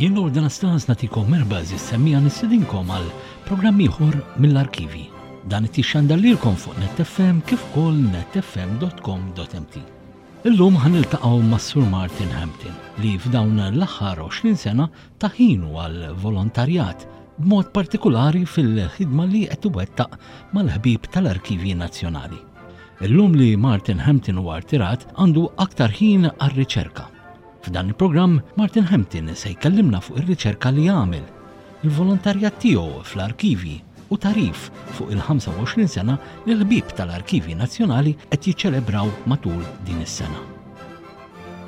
Jien Lord Anastas natikom merba għażiż semmija nistedinkom għal programm ieħor mill-arkivi. Dan qed jixxandar lilkom fuq NetFM kif ukoll netfm.com.mt. Illum ħa niltaqgħu mas-Sur Martin Hampton li f'dawn l-aħħar 20 sena ta ħinu għal volontarjat b'mod partikulari fil-ħidma li qed iwettaq mal-ħbieb tal-Arkivji Nazzjonali. Illum li Martin Hampton huwa rtirat għandu aktar ħin għar-riċerka. F'dan il-programm Martin Hampton se jkellimna fuq ir-riċerka li għamel, il-volontarjat tiegħu fl-arkivji u tagħrif fuq il-25 sena li l-ħbieb tal-Arkivji Nazzjonali qed jiċċelebraw matul din is-sena.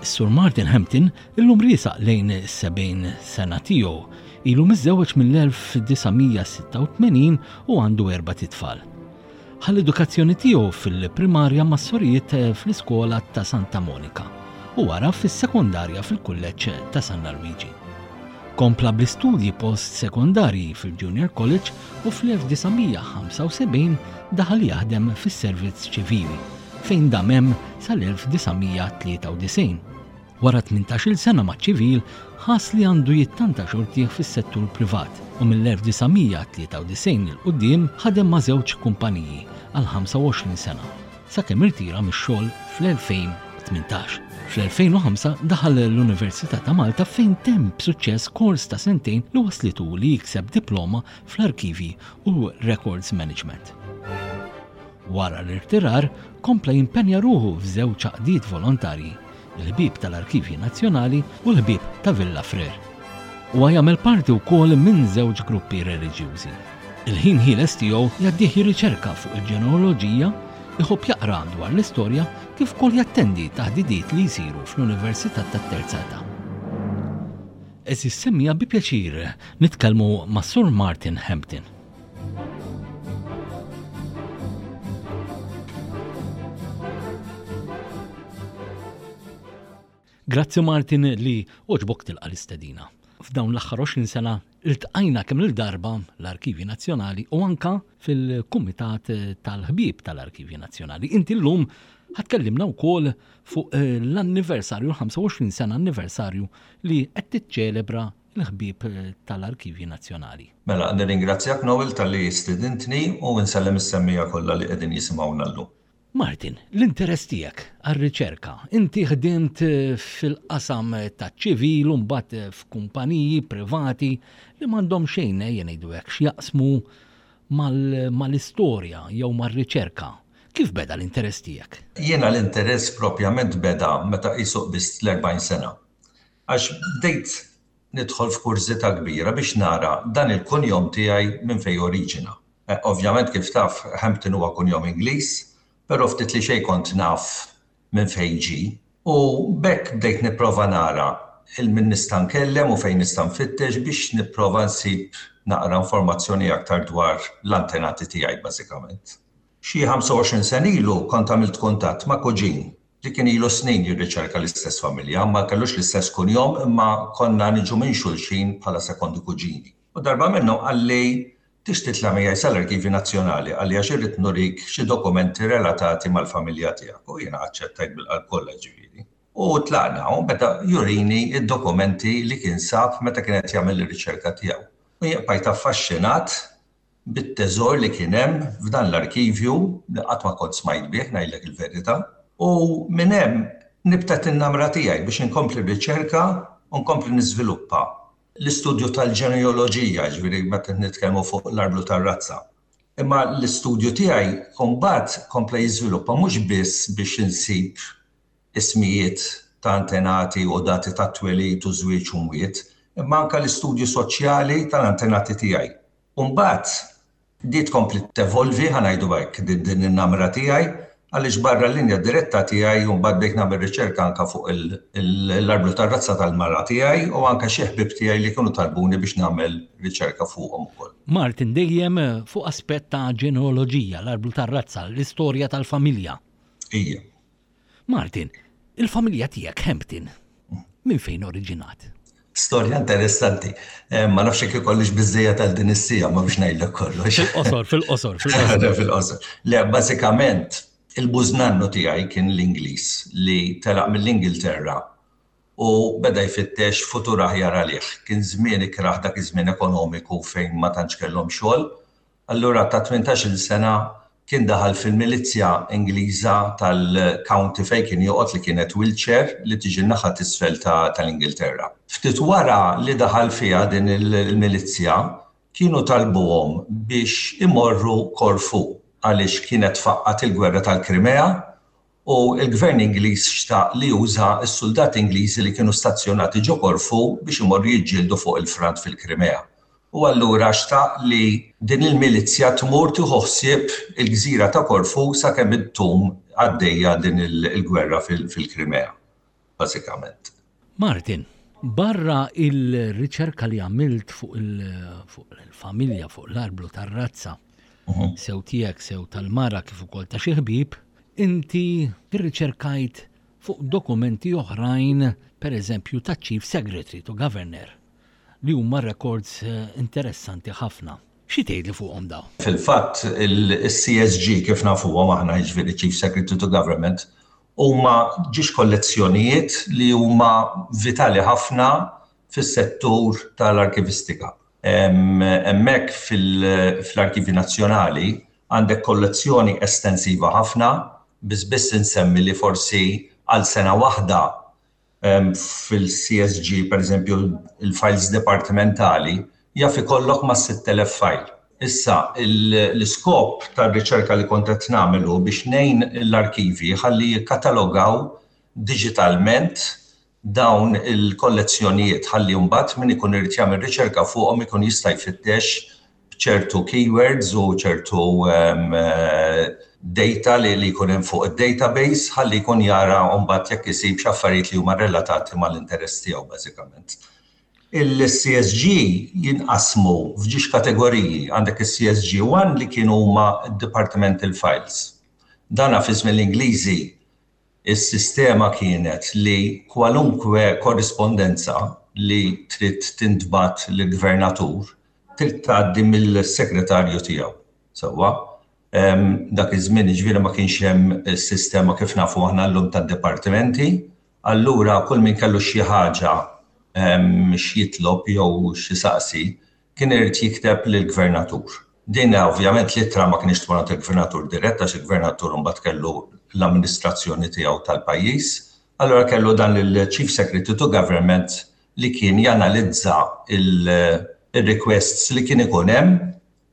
Is-Sur Martin Hampton illum riesaq lejn is-70 sena tiegħu. Ilu miżżewweġ mill-1986 u għandu erbat itfal. Ħa l-edukazzjoni tiegħu fil-primarja mas-sorijiet fl-iskola ta' Santa Monika u wara fis-sekondarja fil-Kulleġġ ta' San Alwiġi. Kompla bl-istudji post-sekondarji fil-Junior College u fl-1975 daħal jaħdem fis-servizz ċivili fejn dam hemm sal-1993. Wara tmintax-il sena maċ-ċivil, ħass li għandu jittanta xortih fis-settur privat u mill-1993 'il quddiem ħadem ma' żewġ kumpaniji għal 25 sena, sakemm irtira mix-xogħol fl-2018. Fl-2005 daħal l-Università ta' Malta fejn temm b'suċċess kors ta' sentejn li wasslitu li jikseb diploma fl-Arkivji u Records Management. Wara l-irtirar, kompla jimpenja ruħu f'żewġ għaqdiet volontarji, il-Ħbieb tal-Arkivji Nazzjonali u l-Ħbieb ta' Villa Frere. Huwa jagħmel parti wkoll minn żewġ gruppi reliġjużi. Il-ħin ħieles tiegħu jgħaddih jirriċerka fuq il-ġenealoġija, iħobb jaqra dwar l-istorja kif ukoll jattendi taħdidiet li jsiru fl-Università tat-Terza Età. Għeżież semmiegħa bi pjaċir nitkellmu mas-Sur Martin Hampton. Grazzi Martin li oġbok tilqa l-istedina. F'dawn l-aħħar 20 sena iltqajna kemm il-darba l-Arkivji Nazzjonali u anka fil-Kumitat tal-Ħbieb tal-Arkivji Nazzjonali. Inti llum ħatkellimna wkoll fuq l-anniversarju, l-25 sena anniversarju li qed tiċċelebra il-ħbieb tal-Arkivji Nazzjonali. Mela, nirringrazzjak Noel talli stidintni u nsellem is-semmiegħa kollha li qegħdin jisimgħuna llum. Martin, l-interess tiegħek għar-riċerka, inti ħdimt fil-qasam taċ-ċivil u mbagħad f'kumpaniji privati li m'għandhom xejn, ejja ngħidu hekk, x'jaqsmu mal-istorja jew mar-riċerka. Kif beda l-interess tiegħek? Jiena l-interess propjament beda meta qisu qbiżt l-40 sena. Għax bdejt nidħol f'kurżità kbira biex nara dan il-kunjom tiegħi minn fejn oriġina. Ovvjament kif taf Hampton huwa kunjom Ingliż, però ftit li xejn kont naf minn fejn ġie. U b'hekk bdejt nipprova nara 'il min nista' nkellem u fejn nista' nfittex biex nipprova nsib naqra informazzjoni aktar dwar l-antenati tiegħi bażikament. Xi 25 sena ilu kont għamilt kuntatt ma' kuġin li kien ilu snin jirriċerka l-istess familja, ma kellux l-istess kunjom imma konna niġu minn xulxin bħala sekondi kuġini. U darba minnhom qalli tix titla' miegħi sal-Arkivju Nazzjonali, qalli għax irrid nurik xi dokumenti relatati mal-familja tiegħek u jiena aċċettajt bil-qalb kollha ġifieri. U tlaqna u beda jurini d-dokumenti li kien sab meta kien qed jagħmel ir-riċerka tiegħu. U jien bqajt affaxxinat bit-teżor li kien hemm f'dan l-arkivju li qatt ma kont smajt bih, ngħidlek il-verità. U minn hemm nibtet in-namra tiegħi biex inkompli r-riċerka u nkompli niżviluppa l-istudju tal-ġenealoġija, jiġifieri meta nitkellmu fuq l-arblu tar-razza. Imma l-istudju tiegħi mbagħad kompla jiżviluppa mhux biss biex insib ismijiet ta' antenati u dati tat-twelid u żwieġ u mwiet, imma anke l-istudju soċjali tal-antenati tiegħi. U mbagħad di tkompli tevolvi, ħa ngħidu hekk, din in-namra tiegħi, għaliex barra l-linja diretta tiegħi u mbagħad bdejt nagħmel riċerka anke fuq l-arblu tar-razza tal-mara tiegħi u anke xi ħbieb tiegħi li kienu talbuni biex nagħmel riċerka fuqhom ukoll. Martin, dejjem fuq aspett ta' ġenealoġija, l-arblu tar-razza, l-istorja tal-familja. Ija. Martin, il-familja tiegħek Hampton, minn fejn oriġinat? Storja interessanti. Eh, ma nafx jekk ikollix biżejjed għal din is-sija ma biex ngħidlek kollox. Fil-qosor, fil-qosor, fil-qosor. Fil-qosor. Le, bażikament, il-bużnannu tiegħi kien l-Ingliż li telaq mill-Ingilterra. u beda jfittex futur aħjar għalih. Kien żmien ikrah dak iż-żmien ekonomiku fejn ma tantx kellhom xogħol. Allura ta' 18-il sena kien daħal fil-milizzja Ingliża tal-county fejn kien joqgħod li kienet Wiltshire li tiġi n-naħa t'isfel tal-Ingilterra. Ftit wara li daħal fiha din il-milizzja kienu talbuhom biex imorru Corfu għaliex kienet faqqgħet il-gwerra tal-Krimea u l-gvern Ingliż xtaq li juża s-suldati Ingliżi li kienu stazzjonati ġo Korfu biex imorru jiġġieldu fuq il-front fil-Krimea. U allura xtaq li din il-milizzja tmur tieħu ħsieb il-gżira ta' Korfu sakemm ittum għaddejja din il-gwerra fil-Krimea, bażikament. Martin, barra il-riċerka li għamilt fuq il-familja, fuq l-arblu tar-razza, mhm. sew tiegħek sew tal-mara kif ukoll ta' xi ħbieb, inti rriċerkajt fuq dokumenti oħrajn, per eżempju ta' Chief Secretary to Governor, li huma records eh, interessanti ħafna. Xi tgħidli fuqhom dawn? Fil-fatt, il-CSG kif nafuhom aħna jiġifieri Chief Secretary to Government huma ġiex kollezzjonijiet li huma vitali ħafna fis-settur tal-arkivistika. Hemmhekk fl-Arkivji Nazzjonali għandek kollezzjoni estensiva ħafna, biss biss insemmi li forsi għal sena waħda fil-CSG, pereżempju, il-files dipartimentali, jaf ikollok mas-6,000 file. Issa, l-iskop tar-riċerka li kont qed nagħmel hu biex ngħin l-arkivji ħalli jikkatalogaw diġitalment dawn il-kollezzjonijiet ħalli mbagħad min ikun irid jagħmel riċerka fuqhom ikun jista' jfittex b'ċertu keywords u ċertu data li li jkun hemm fuq id-database ħalli jkun jara mbagħad jekk isib xi affarijiet li huma relatati mal-interess tiegħu bażikament. Il-CSG jinqasmu f'ġiex kategoriji. Għandek is-CSG 1 li kienu huma departmental files. Dana fi żmien l-Ingliżi Is-sistema kienet li kwalunkwe korrispondenza li trid tintbagħat lill-gvernatur trid tgħaddi mill-segretarju tiegħu. Sewwa? Dak iż-żmien jiġifieri ma kienx hemm is-sistema kif nafu aħna llum tad-dipartimenti, allura kull min kellu xi ħaġa x'jitlob jew x'isaqsi kien irid jikteb lill-gvernatur. Din ovvjament l-ittra ma kinitx tmur għand il-gvernatur dirett għax il-gvernatur imbagħad kellu l-amministrazzjoni tiegħu tal-pajjiż. Allura kellu dan il-Chief Secretary to Government li kien janalizza il-requests li kien ikun hemm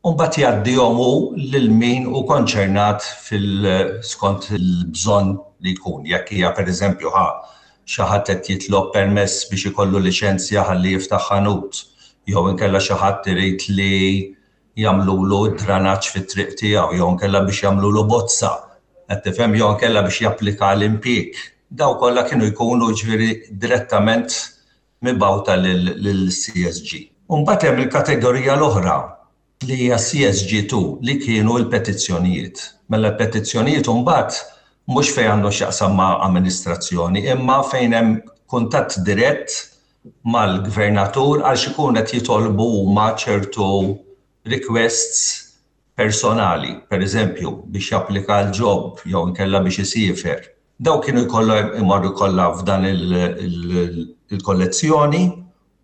u mbagħad jgħaddihom hu lil min hu konċernat fil skont il-bżonn li jkun. Jekk hija pereżempju ħa xi ħadd qed jitlob permess biex ikollu liċenzja ħalli jiftaħ ħanut, jew inkella xi ħadd irid li jagħmlulu d-dranaġġ fit-triq tiegħu, jew inkella biex jagħmlulu bozza, qed tifhem, jew inkella biex japplika għal impjieg. Dawn kollha kienu jkunu jiġifieri direttament mibgħuta lill-CSG. U mbagħad hemm il-kategorija l-oħra li hija CSG2 li kienu l-petizzjonijiet. Mela l-petizzjonijiet imbagħad mhux fejn għandu x'jaqsam ma' amministrazzjoni imma fejn hemm kuntatt dirett mal-gvernatur għal x'ikun qed jitolbu huma ċertu requests personali, pereżempju biex japplika għal job jew inkella biex isiefer. Dawn kienu jkollhom imorru kollha f'dan il-kollezzjoni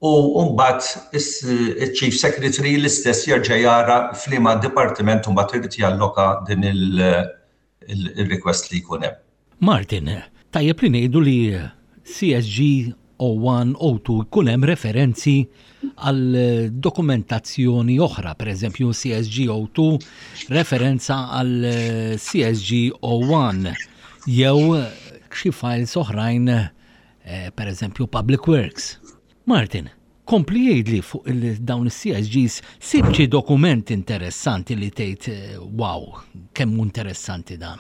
u mbagħad iċ-Chief Secretary l-istess jerġa' jara f'liema dipartiment mbagħad irid jalloka din il-request li jkun hemm. Martin, tajjeb li ngħidu li CSG O1, O2 jkun hemm referenzi għal dokumentazzjoni oħra, per eżempju CSG O2 referenza għal CSG O1 jew xi files oħrajn eh, per eżempju Public Works. Martin, kompli jgħidli fuq dawn is-CSGs sib xi dokument interessanti li tgħid eh, wow, kemm interessanti dan.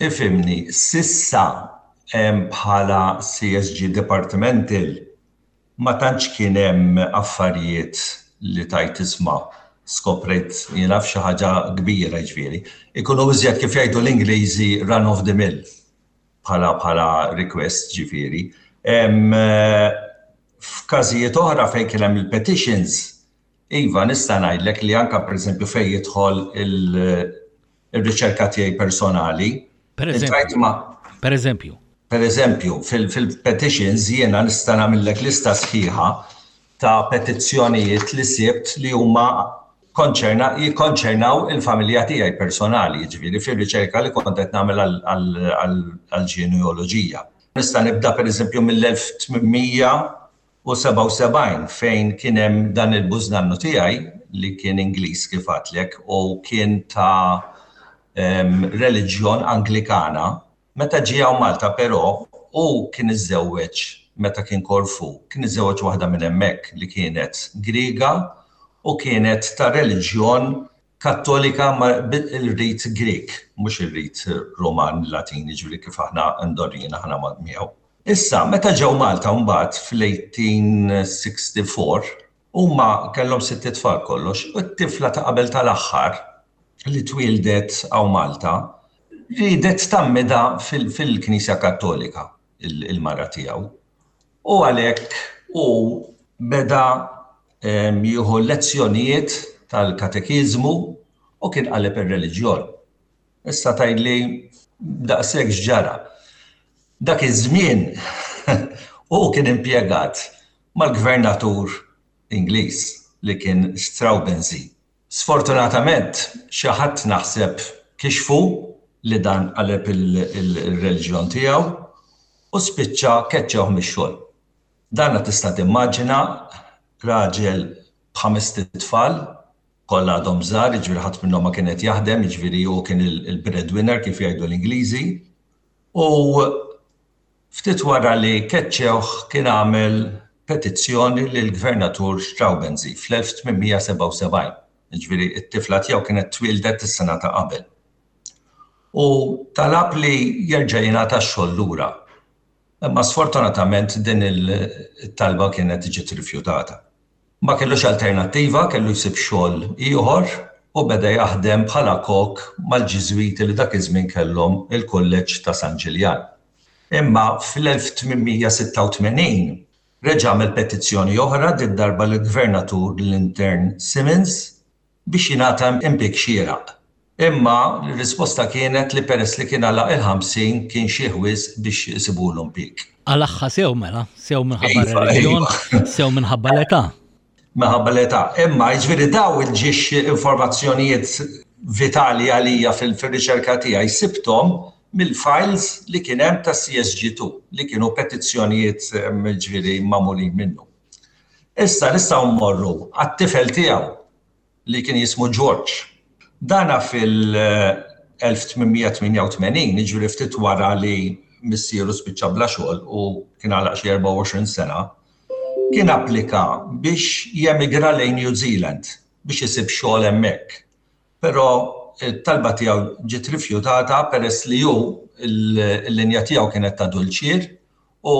Ifhimni, s'issa bħala CSG Departmental ma tantx kien hemm affarijiet li tgħid isma' skoprejt jien naf xi ħaġa kbira jiġifieri. Ikunu iżjed kif jgħidu l-Ingliżi run of the mill bħala bħala request ġifieri. F'każijiet oħra fejn kien hemm il-petitions, iva nista' ngħidlek li anke pereżempju fejn jidħol il- ir-riċerka tiegħi personali. Per eżempju. Per eżempju. Per eżempju, fil-petitions jiena nista' nagħmillek lista sħiħa ta' petizzjonijiet li sibt li huma jikkonċernaw il-familja tiegħi personali, jiġifieri fir-riċerka li kont qed nagħmel għall-ġenealoġija. Nista' nibda pereżempju mill-1877 fejn kien hemm dan il-bużnannu tiegħi li kien Ingliż kif għedtlek u kien ta' reliġjon Anglikana. Meta ġie hawn Malta però, hu kien iżżewweġ meta kien Korfu, kien iżżewweġ waħda minn hemmhekk li kienet Griega u kienet ta' reliġjon Kattolika ma bil-rit Grieg, mhux ir-rit Ruman Latin, jiġifieri kif aħna mdorrijin aħna miegħu. Issa, meta ġew Malta mbagħad fl-1864, huma kellhom sitt itfal kollox, u t-tifla ta' qabel tal-aħħar li twieldet hawn Malta, riedet tgħammidha fil-Knisja Kattolika il-mara tiegħu. U għalhekk hu beda jieħu lezzjonijiet tal-katekiżmu u kien qaleb ir-reliġjon. Issa tgħidli daqshekk x'ġara. Dak iż-żmien hu kien impjegat mal-gvernatur Ingliż li kien Straubenzee. Sfortunatament xi ħadd naħseb kixfu li dan qaleb il-reliġjon tiegħu u spiċċa keċċewh mix-xogħol. Dana tista' timmaġina raġel b'ħamest itfal, kollha għadhom żgħar, jiġifieri ħadd minnhom ma kien qed jaħdem, jiġifieri hu kien il-breadwinner kif jgħidu l-Ingliżi. U Ftit wara li keċċewh kien għamel petizzjoni lill-Gvernatur Straubenzee fl-1877, jiġifieri t-tifla tiegħu kienet twieldet is-sena ta' qabel, u talab li jerġa' jingħata x-xogħol lura. Imma sfortunatament din it-talba kienet ġiet rifjutata. Ma kellux alternattiva, kellu jsib xogħol ieħor u beda jaħdem bħala kok mal-Ġiżwiti li dak iż-żmien kellhom il-Kulleġġ ta' San Ġiljan. Imma fl-1886 reġa' għamel petizzjoni oħra, did-darba lill-Gvernatur Lintern Simmons, biex jingħata impieg xieraq. Imma r-risposta kienet li peress li kien għalaq il-50 kien xiħ wisq biex isibulu impieg. Għalaqha sew mela, sew minħabba iva, r-reliġjon, iva. sew minħabba l-età. Minħabba l-età. Imma jiġifieri daw il-ġiex informazzjonijiet vitali għalija fil-riċerka tiegħi sibthom mill-files li kien hemm ta' CSG2 li kienu petizzjonijiet ġifieri magħmulin minnu. Issa nistgħu mmorru għat-tifel tiegħu li kien jismu George. Dana fil-1888, jiġifieri ftit wara li missieru spiċċa bla xogħol u kien għalaq xi 24 sena, kien applika biex jemigra lejn New Zealand biex isib xogħol hemmhekk. Però t-talba tiegħu ġiet rifjutata peress li hu l-linja tiegħu kienet ta' dulċier u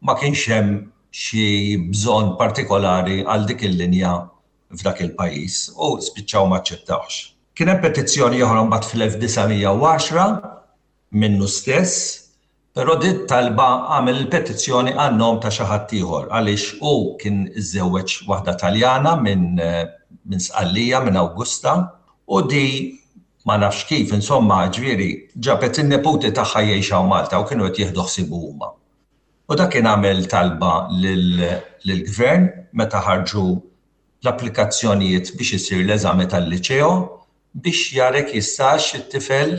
ma kienx hemm xi bżonn partikolari għal dik il-linja f'dak il-pajjiż u spiċċaw ma aċċettawhx. Kien hemm petizzjoni oħra mbagħad fl-1910 minnu stess, però din it-talba għamel il-petizzjoni għan-nom ta' xi ħadd ieħor għaliex hu kien iżżewweġ waħda Taljana minn minn Sqallija, minn Awgusta, u di ma nafx kif, insomma, ġifieri, ġabet in-neputi tagħha jgħix hawn Malta u kienu qed jieħdu ħsiebu huma. U dak kien għamel talba lill-Gvern meta ħarġu l-applikazzjonijiet biex isir l-eżami tal-Liċeo biex jara jekk jistax it-tifel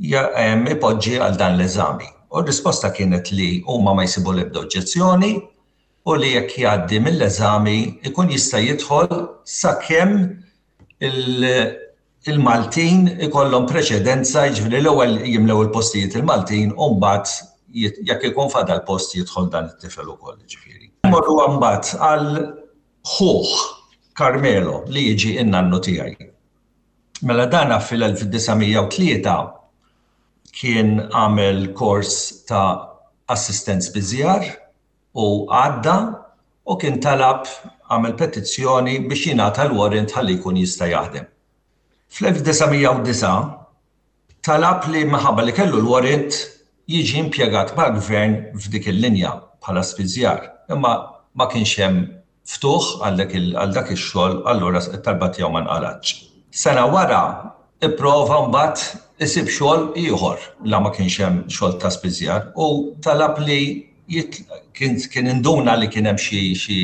ipoġġi għal dan l-eżami. U r-risposta kienet li huma ma jsibu l-ebda oġġezzjoni u li jekk jgħaddi mill-eżami jkun jista' jidħol sakemm il-Maltin ikollhom preċedenza, jiġifieri l-ewwel jimlew il-postijiet il-Maltin u mbagħad jekk ikun fadal post jidħol dan it-tifel ukoll, jiġifieri. Morru mbagħad għal ħuh Carmelo li jiġi n-nannu tiegħi. Mela dana fil-1903 kien għamel kors ta' assistent spiżjar u għadda u kien talab għamel petizzjoni biex jingħata l-warrant ħalli jkun jista' jaħdem. Fl-1909 talab li minħabba li kellu l-warrant jiġi impjegat mal-gvern f'dik il-linja bħala spiżjar, imma ma kienx hemm ftuħ għal dak ix-xogħol allura t-talba tiegħu ma nqalgħetx. Sena wara pprova mbagħad isib xogħol ieħor la ma kienx hemm xogħol ta' spiżjar u talab li kien induna li kien hemm xi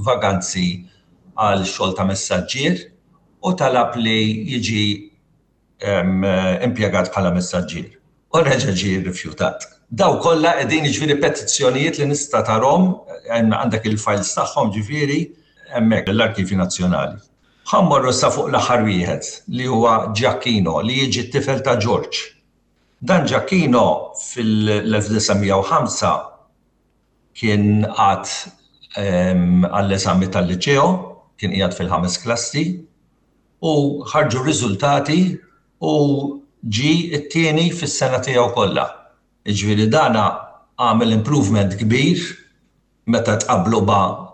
vaganzi għal xogħol ta' messaġġier u talab li jiġi impjegat bħala messaġġier. U reġa' ġie rrifjutat. Daw kollha qegħdin jiġifieri petizzjonijiet li nista' tarhom għandek il-files tagħhom ġifieri hemmhekk l-Arkivju Nazzjonali. Ħa mmorru issa fuq l-aħħar wieħed li huwa Giacchino li jiġi t-tifel ta' George. Dan Giacchino fil-1905 kien qagħad għall-eżami tal-liċeo, kien qiegħed fil-ħames klassi u ħarġu r-riżultati u ġie t-tieni fis-sena tiegħu kollha. Jiġifieri dan għamel improvement kbir meta tqabblu ma'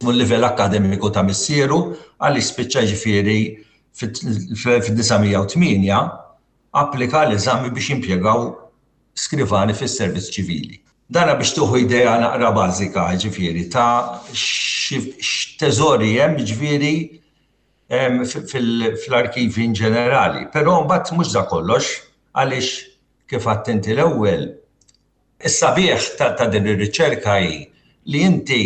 l-livell akkademiku ta' missieru għaliex spiċċa jiġifieri fil-1908 applika l-eżami biex jimpjegaw skrivani fis-servizz ċivili. Dana biex tieħu idea naqra bażika jiġifieri ta' x'teżori hemm jiġifieri fl-arkivi in ġenerali. Però mbagħad mhux da kollox għaliex kif għedt inti l-ewwel Is-sabiħ ta' din ir-riċerka hi li inti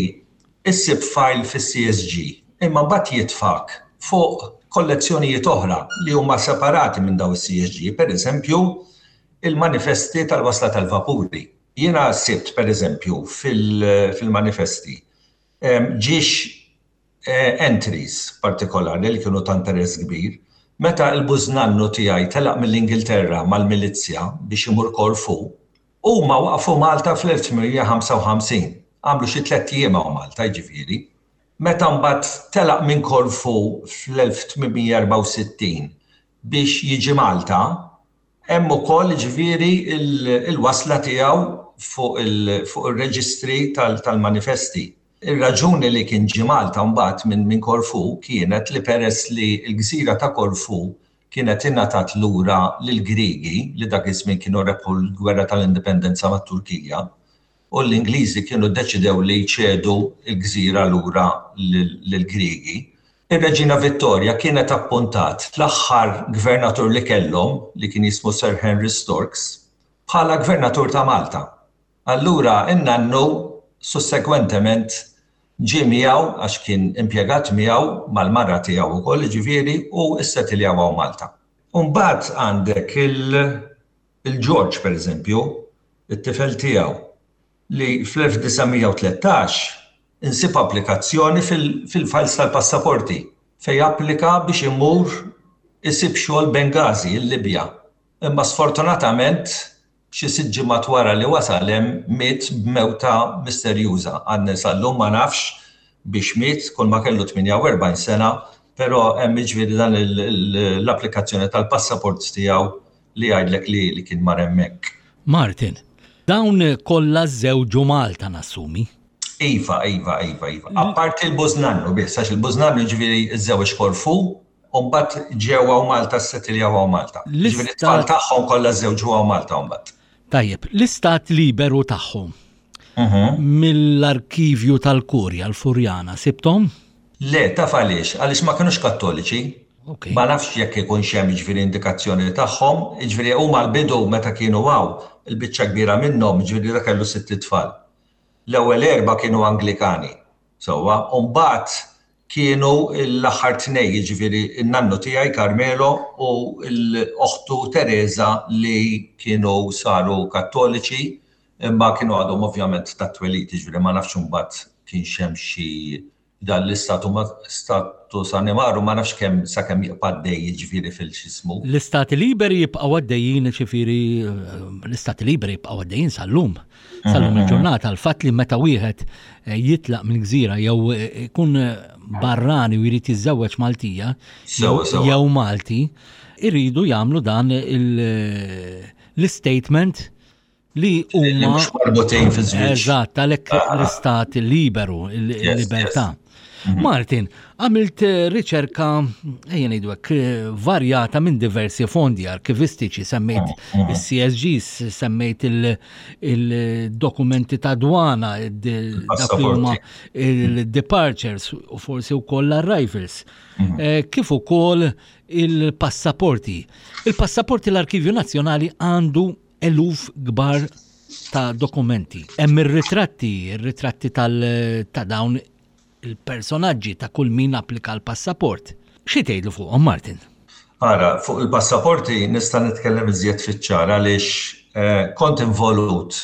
issib file fis-CSG imma mbagħad jitfgħek fuq kollezzjonijiet oħra li huma separati minn dawn is-CSG, pereżempju il-manifesti tal-wasla tal-vapuri. Jiena sibt pereżempju fil-manifesti ġiex entries partikolari li kienu ta' interess kbir. Meta l-bużnannu tiegħi telaq mill-Ingilterra mal-milizzja biex imur Korfu, huma waqfu Malta fl-1855. Għamlu xi tlett ijiem hawn Malta, jiġifieri. Meta mbagħad telaq minn Korfu fl-1864 biex jiġi Malta, Hemm ukoll jiġifieri l-wasla tiegħu fuq ir-reġistri tal-manifesti. Ir-raġuni li kien ġie Malta mbagħad minn Korfu kienet li peress li l-gżira ta' Korfu kienet ingħatat lura lill-Griegi li dak iż-żmien kienu rebħu l-gwerra tal-indipendenza mat-Turkija, u l-Ingliżi kienu ddeċidew li jċedu l-gżira lura lill-Griegi. Ir-Reġina Vittorja kienet appuntat l-aħħar gvernatur li kellhom, li kien jismu Sir Henry Storks, bħala gvernatur ta' Malta. Allura n-nannu sussegwentement ġie miegħu għax kien impjegat miegħu mal-mara tiegħu wkoll jiġifieri u ssetiljaw hawn Malta. U mbagħad għandek il-George pereżempju, it-tifel tiegħu, li fl-1913 insib applikazzjoni fil-files tal-passaporti fejn applika biex imur isib xogħol Benghazi, il-Libja. Imma sfortunatament xi sitt ġimgħat wara li wasal hemm miet b'mewta misterjuża. Għadni sal-lum ma nafx biex miet, kull ma kellu 48 sena, però hemm jiġifieri dan l-applikazzjoni tal-passaport tiegħu li jgħidlek li kien mar hemmhekk. Martin, dawn kollha żżewġu Malta nassumi? Iva, iva, iva, iva. Apparti l-bużnannu biss, għax il-bużnannu jiġifieri żżewweġ Korfu, u mbagħad ġew hawn Malta ssettiljaw hawn Malta. Jiġifieri t-tfal tagħhom kollha żżewġu hawn Malta mbagħad. Tajjeb, l-istat liberu tagħhom mhm. mill-arkivju tal-Kurja l-Furjana sibthom? Le, taf għaliex, għaliex ma kinux Kattoliċi. Ma nafx jekk ikunx hemm jiġifieri indikazzjoni tagħhom, jiġifieri huma l-bidu meta kienu hawn, il-biċċa kbira minnhom, jiġifieri dak kellu sitt itfal. L-ewwel erbgħa kienu Anglikani, sewwa, u mbagħad kienu l-aħħar tnejn, jiġifieri n-nannu tiegħi Carmelo u l-oħtu Teresa li kienu saru Kattoliċi, imma kienu għadhom ovvjament tat-twelid, jiġifieri ma nafx imbagħad kienx hemm xi dan l-istatu status animarum ma nafx kemm sakemm jibqa' għaddej jiġifieri fil-x'ismu. L-istati liberi jibqgħu għaddejjin jiġifieri l-istati liberi jibqgħu għaddejjin sal-lum. Sal-lum il-ġurnata l-fatt li meta wieħed eh, jitlaq minn gżira jew eh, ikun barrani u jrid jiżżewweġ Maltija jew Malti, iridu jagħmlu dan l-statement. Li huma mhux marbutin fi żwieġ. Eżatt, għalhekk ah. l-istat liberu, il-libertà. Mhm. Martin, għamilt eh, riċerka, ejja ngħidu hekk, eh, varjata minn diversi fondi arkivistiċi, semmejt mhm. il-CSGs, semmejt il-dokumenti ta' dwana, dak li huma il-departures u forsi wkoll l-arrivals. Mhm. Eh, kif ukoll il-passaporti. Il-passaporti l-Arkivju Nazzjonali għandu eluf kbar ta' dokumenti. Hemm ir-ritratti, ir-ritratti ta' dawn il-personaġġi ta' kull min applika l-passaport. Xi tgħidlu fuqhom Martin? Ara, fuq il-passaporti nista' nitkellem iżjed fiċ-ċar għaliex eh, kont involut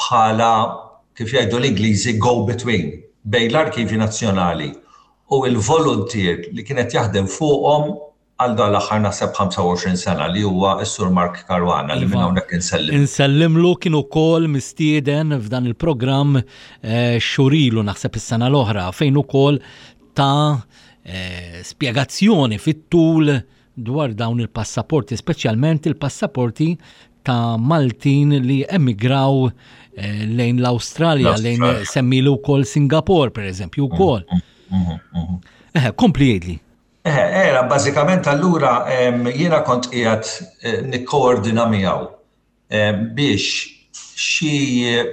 bħala kif jgħidu l-Ingliżi go between bejn l-Arkivji Nazzjonali u l-voluntier li kienet jaħdem fuqhom għal dan l-aħħar naħseb 25 sena li huwa s-Sur Mark Caruana li minn iva. hawnhekk insellim. Insellimlu kien ukoll mistieden f'dan il-programm eh, xurilu naħseb is-sena l-oħra fejn ukoll ta' eh, spjegazzjoni fit-tul dwar dawn il-passaporti, speċjalment il-passaporti ta' Maltin li emigraw eh, lejn l-Awstralja, lejn semmilu wkoll Singapore, per eżempju, wkoll. Mm, mm, mm, eh, kompli jgħidli. Eh, era, bażikament allura jiena kont qiegħed eh, nikkoordina miegħu biex xi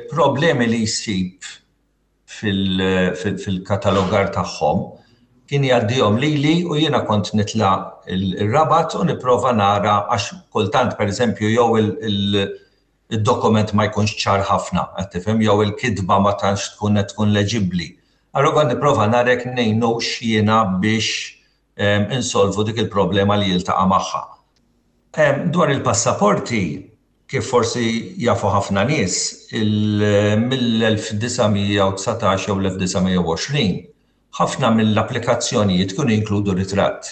problemi li jsib fil-katalogar tagħhom kien jgħaddihom lili u jiena kont nitla' ir-Rabat u nipprova nara għax kultant pereżempju jew id-dokument ma jkunx ċar ħafna, qed tifhem, jew il-kitba ma tantx tkun qed tkun leġibbli. Allura kont nipprova nara jekk ngħinux jiena biex insolvu dik il-problema li jiltaqa' magħha. Dwar il-passaporti, kif forsi jafu ħafna nies, mill-1919 jew l-1920, ħafna mill-applikazzjonijiet kienu jinkludu ritratt.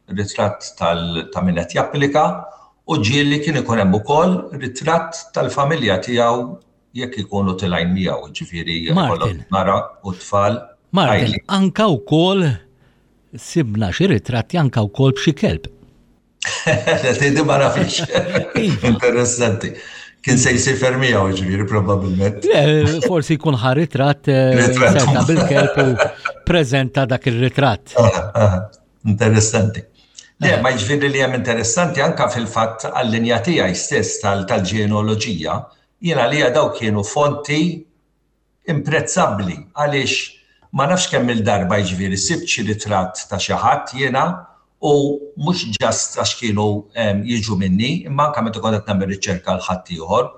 Ritratt ta' min qed japplika u ġieli kien ikun hemm ukoll ritratt tal-familja tiegħu jekk ikunu tilgħin miegħu, jiġifieri jkollok mara u tfal. Martin, anka wkoll sibna xi ritratti anka wkoll b'xi kelb. Tgħidi ma nafix. Iva. Interessanti. Kien se jsifer miegħu ġifieri probabbilment. Le, forsi jkun ħa ritratt eh, serta bil-kelb u preżenta dak ir-ritratt. Interessanti. Le, eh. ma jiġifieri li hemm interessanti anka fil-fatt għall-linja tiegħi stess tal-ġenealoġija, jiena li daw kienu fonti imprezzabbli għaliex ma nafx kemm-il darba jiġifieri sibt xi ritratt ta' xi ħadd jiena u mhux just għax kienu jiġu minni imma anke meta kont qed nagħmel riċerka għal ħaddieħor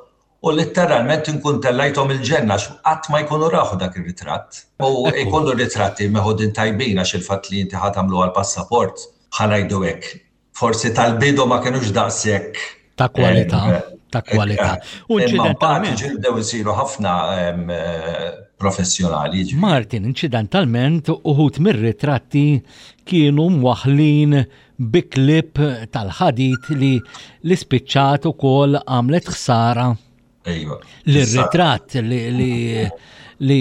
u litteralment inkun tellajthom il-ġenna għax qatt ma jkunu rawh dak ir-ritratt. U jkunu ritratti meħudin tajbin għax il-fatt li inti ħa tagħmlu għall-passaport, ħa ngħidu hekk, forsi tal-bidu ma kienux daqshekk ta' kwalità, eh, ta' kwalità. Eh, U inċidentalment bdew isiru ħafna eh, professjonali. Martin, inċidentalment uħut mir-ritratti kienu mwaħlin bi klip tal-ħadid li l-ispiċċat ukoll għamlet ħsara. Ejwa. L-ritratt li, li li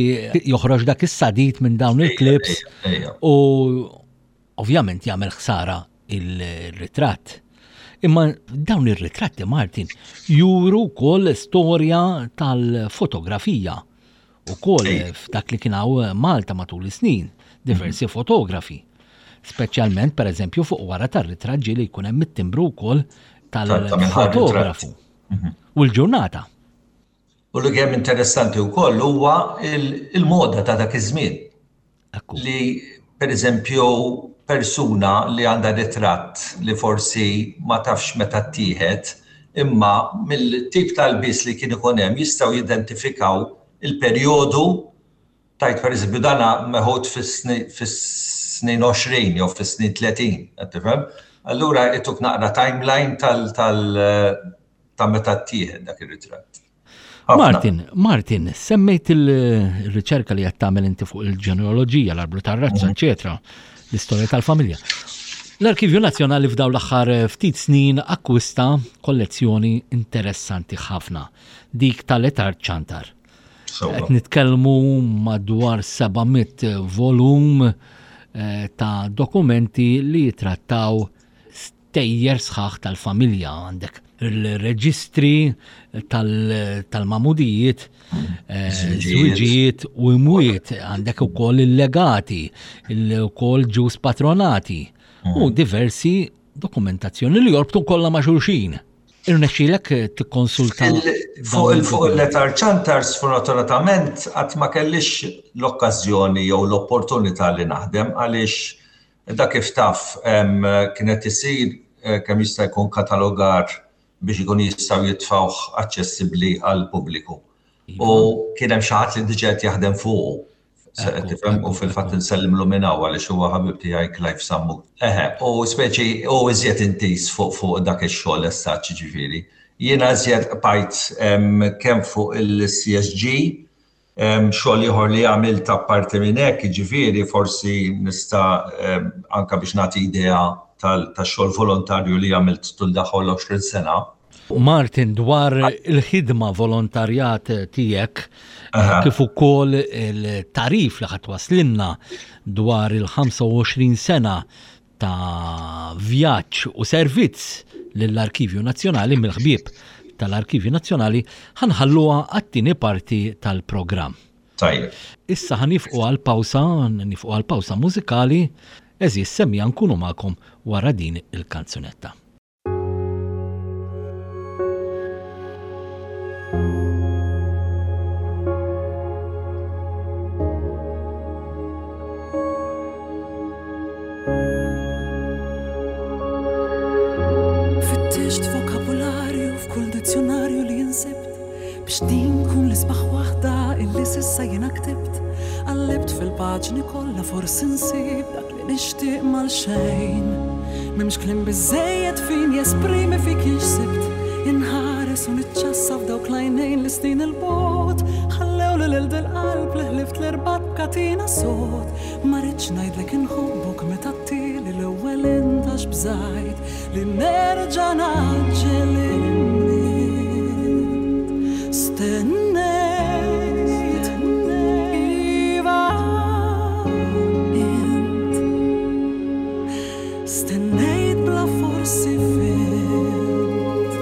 joħroġ dak is-sadid minn dawn il-klips u Ovvjament jagħmel ħsara il-ritratt. Imma dawn ir-ritratti Martin juru wkoll storja tal-fotografija ukoll f'dak li kien hawn Malta matul is-snin, diversi mhm. fotografi. Speċjalment pereżempju fuq wara tar-ritratt ġieli jkun hemm it-timbru wkoll tal-fotografu. Mhm. U l-ġurnata. U li kemm interessanti wkoll huwa il-moda ta' dak iż-żmien. Li pereżempju persuna li għandha ritratt li forsi ma tafx meta ttieħed, imma mill-tip ta' lbies li kien ikun hemm jistgħu jidentifikaw il-perjodu tajt pereżempju dana meħud fis-snin 20 jew fis-snin 30, qed tifhem? Allura ituk naqra timeline tal ta' meta ttieħed dak ir-ritratt. Martin, Martin, semmejt il-riċerka li qed tagħmel inti fuq il-ġenealoġija, l-arblu tar-razza, mhm. eċetera, l-istorja tal-familja. L-Arkivju Nazzjonali f'daw l-aħħar ftit snin akkwista kollezzjoni interessanti ħafna, dik tal-Etar Ċantar. Qed nitkellmu madwar 700 volum eh, ta' dokumenti li jitrattaw stejjer sħaħ tal-familja għandek. il-reġistri tal-mamudijiet, eh, żwiġijiet u imwiet, għandek ukoll il-legati, ukoll ġus patronati u mm. diversi dokumentazzjoni li jorbtu kollha ma' xulxin. Irnexxielek tikkonsulta fuq il-fuq il-letar ċantar sfortunatament qatt ma kellix l-okkażjoni jew l-opportunità li naħdem għaliex dak kif taf kienet isir eh, kemm jista' jkun katalogar biex ikun jistgħu jitfgħuh aċċessibbli għall-pubbliku. U kien hemm xi ħadd li diġà qed jaħdem fuqu. Se qed tifhem u fil-fatt insellimlu minn hawn għaliex huwa ħabib tiegħi Clive Sammut. Eħe, u speċi u iżjed intiż fuq fuq dak ix-xogħol as such ġifieri. Jiena iżjed qbajt kemm fuq il-CSG, xogħol ieħor li għamilt apparti minn hekk, jiġifieri forsi nista' anke biex nagħti idea tax-xogħol volontarju li għamilt tul daħol 20 sena. Martin, dwar il-ħidma volontarjat tiegħek, kif ukoll il-tarif li ħadd waslinna dwar il-25 sena ta' vjaġġ u servizz lill-Arkivju Nazzjonali mill-ħbieb tal-Arkivju Nazzjonali, ħanħalluha għat-tieni parti tal-programm. Tajjeb. Issa ħa nifqu għal pawsa, nifqu għal pawsa mużikali, eżis semmija nkunu magħkom wara din il-kanzunetta. Fittixt vokabularju f'kull dizzjonarju li insibt biex din kun l-isbaħ waħda illi sissa jiena ktibt. Qallibt fil-paġni kollha forsi nsib dak li nixtieq mal-xejn. M'hemmx kliem biżżejjed fin jesprimi fik jien x'sibt. Inħares u niċċassa f'dawk l-għajnejn li snin 'il bogħod ħallew lil dil-qalb li ħlift l-irbat b'katina sod. Ma ridtx ngħidlek inħobbok meta għedtili l-ewwel int għax bżajt li nerġa' ngħaġġel immiet. Stennejt, iva int. Stennejt bla forsi fhimt.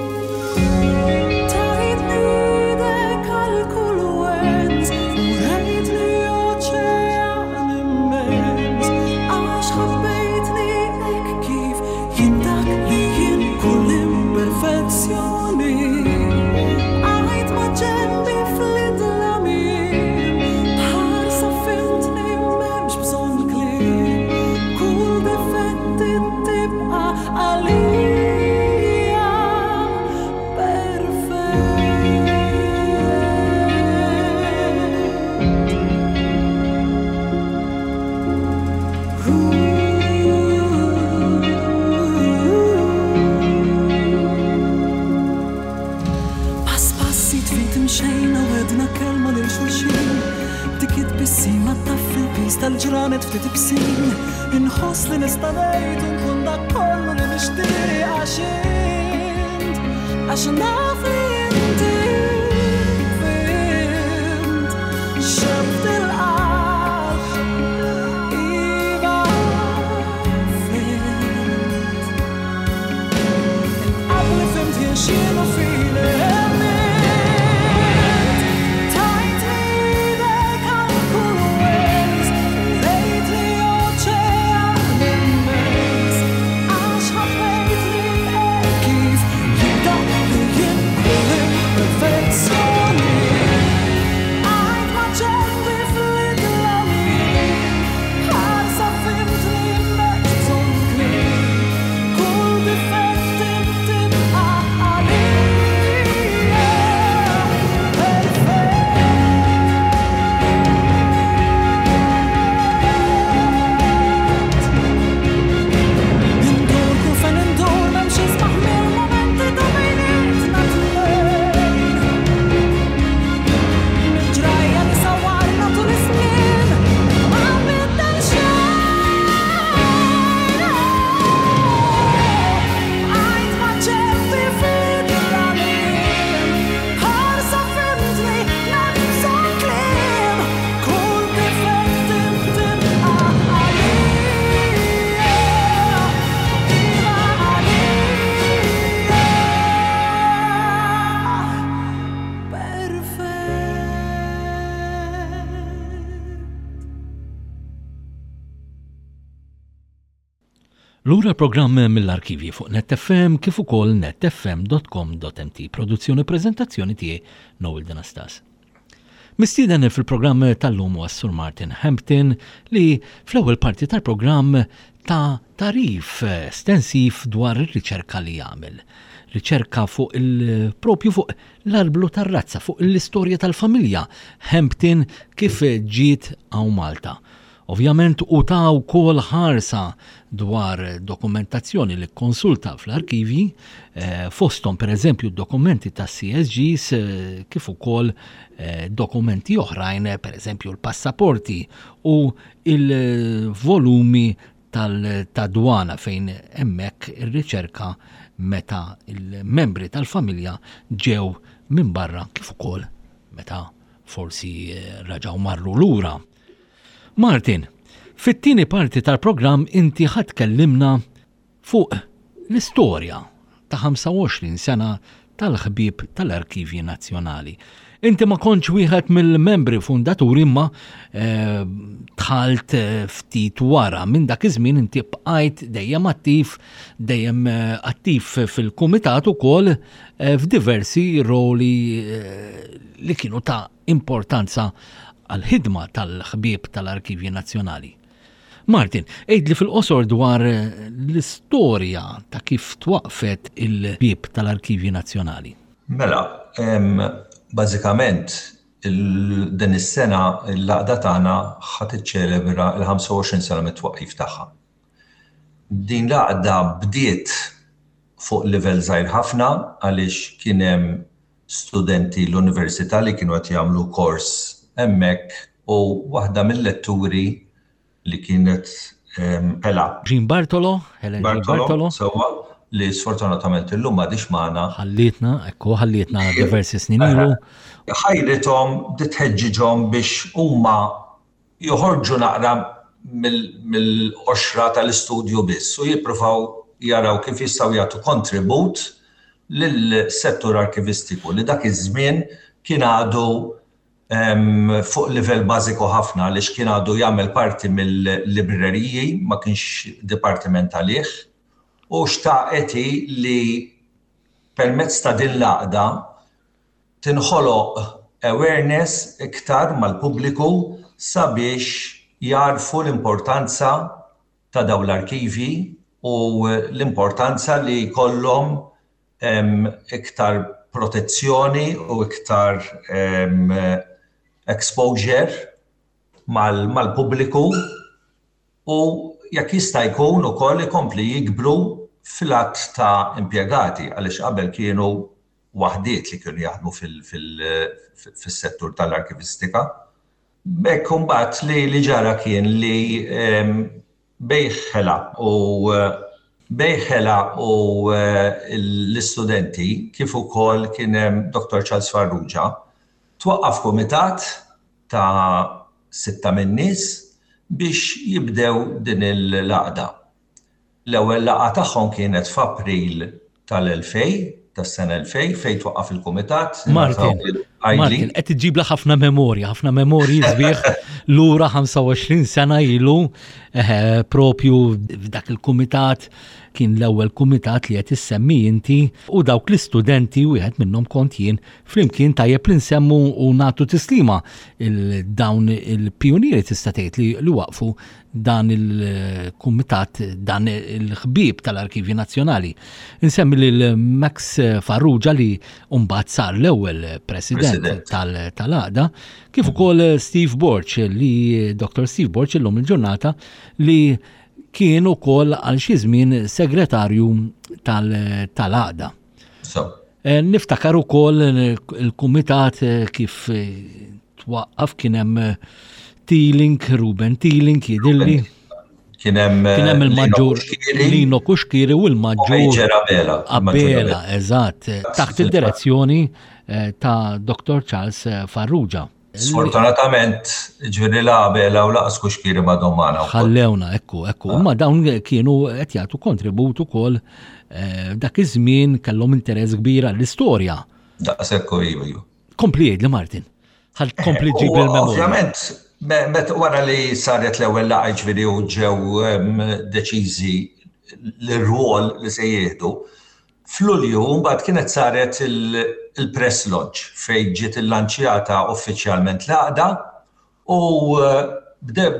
Tajtni idek għal kull wens u rejtni oċean immens għax ħabbejtni hekk kif jien dak li jien kull imperfezzjoni. Bqajt ma' ġenbi fl-idlamien b'ħarsa fhimtni m'hemmx bżonn kliem kull difett tibqa' għalija perfett. Pass pass jitfit imxejna wedna kelma lil xulxin Dik it-tbissima taffi l-piż tal-ġranet ftit ibsin Inħoss li nista' ngħid u nkun dak kollu li nixtieq għax int għax naf li inti fhimt xebt il-qalb iva fhimt Qabli fhimt jien x'inhu fini emmint Tajtni idek għal kull wens Rejtni oċean immens Għax ħabbejtni hekk kif jien dak li jien kull. Lura programm mill-arkivji fuq Net FM kif ukoll netfm.com.mt. Produzzjoni u preżentazzjoni tiegħi Noel Denastas. Mistieden fil-programm tal-lum huwa Sur Martin Hampton li fl-ewwel parti tal-programm ta tagħrif estensiv dwar ir-riċerka li jagħmel. Riċerka fuq il-propju fuq l-arblu tar-razza, fuq l-istorja tal-familja Hampton kif ġiet hawn Malta. Ovvjament hu ta wkoll ħarsa dwar dokumentazzjoni li kkonsulta fl-arkivji, fosthom pereżempju d-dokumenti tas-CSGs kif ukoll dokumenti oħrajn, pereżempju l-passaporti u l-volumi tad-dwana fejn hemmhekk irriċerka meta l-membri tal-familja ġew minn barra kif ukoll meta forsi raġgħu marru lura. Martin, fit-tieni parti tal-programm inti ħa tkellimna fuq l-istorja ta' 25 sena tal-ħbieb tal-Arkivji Nazzjonali. Inti ma kontx wieħed mill-membri fundaturi imma eh, dħalt eh, ftit wara minn dak iż-żmien inti bqajt dejjem attiv, dejjem eh, attiv fil-kumitat ukoll f'diversi roli li kienu ta' importanza għall-ħidma tal-ħbieb tal-Arkivji Nazzjonali. Martin, għidli fil-qosor dwar l-istorja ta' kif twaqqfet il-Bieb tal-Arkivji Nazzjonali. Mela, bażikament din is-sena l-għaqda tagħna ħa tiċċelebra l-25 sena mit-twaqqif tagħha. Din l-għaqda bdiet fuq livell żgħir ħafna għaliex kien hemm studenti l-università li kienu qed jagħmlu kors hemmhekk u waħda mil-letturi li kienet Hela. Jean Bartolo, Helen Jean Bartolo. Sewwa, li sfortunatament illum m'għadhiex magħna. Ħallietna, ekku, ħallietna diversi snin ilu. Ħajrithom bdiet tħeġġiġhom biex huma joħorġu naqra mill-qoxra tal-istudju biss u jippruvaw jaraw kif jistgħu jagħtu kontribut lis-settur arkivistiku li dak iż-żmien kien għadu fuq livell bażiku ħafna għaliex kien għadu jagħmel parti mill-libreriji, ma kienx dipartiment għalih, u xtaqet hi li permezz ta' din l-għaqda tinħoloq awareness iktar mal-pubbliku sabiex jagħrfu l-importanza ta' dawn l-arkivji u l-importanza li jkollhom iktar protezzjoni u iktar exposure mal-pubbliku u jekk jista' jkun ukoll ikompli jikbru fil-għadd ta' impjegati għaliex qabel kienu waħdiet li kienu jaħdmu fis-settur tal-arkivistika. B'hekk imbagħad li li ġara kien li bejn Ħela u bejn Ħela u l-istudenti kif ukoll kien hemm Dottor Charles Farrugia twaqqaf kumitat ta' sitta min-nies biex jibdew din il-għaqda. L-ewwel laqgħa tagħhom kienet f'April tal-2000, tas-sena 2000, fejn twaqqaf il-kumitat. Martin, Martin, qed iġġibla ħafna memorja, ħafna memorji sbieħ lura 25 sena ilu eh, propju f'dak il-kumitat kien l-ewwel kumitat li qed issemmi inti u dawk l-istudenti wieħed minnhom kont jien flimkien tajjeb li nsemmu u nagħtu tislima il dawn il-pijunieri tista' tgħid li, li waqfu dan il-kumitat, dan il-ħbieb tal-Arkivji Nazzjonali. Insemmi lil Max Farrugia li mbagħad sar l-ewwel president tal-għaqda, kif ukoll Steve Borg li Dr. Steve Borg illum il-ġurnata li kien ukoll għal xi żmien segretarju tal-għaqda. Eh, niftakar ukoll il-kumitat eh, kif eh, twaqqaf kien hemm Teeling, Ruben Teeling jidilli. Kien hemm kien hemm il-maġġur Lino Kuxkiri u l-maġġur Abela. Abela, eżatt, taħt id-direzzjoni ta' Dr. Charles Farrugia. Sfortunatament, ġifieri la Abela u laqas Kuxkiri m'għadhom magħna. Ħallewna, ekku, ekku. Ah. Ma dawn kienu qed jagħtu kontribut ukoll eh, dak iż-żmien kellhom interess kbir għall-istorja. Daqshekk iva, iva. Kompli jgħidli Martin. Ħal kompli eh, ġib il-memorja. Ovvjament, met wara li saret l-ewwel laqgħa ġifieri u ġew deċiżi. l-rwol li se jieħdu. F'Lulju mbagħad kienet saret il-press launch fejn ġiet illanċjata uffiċjalment l-għaqda u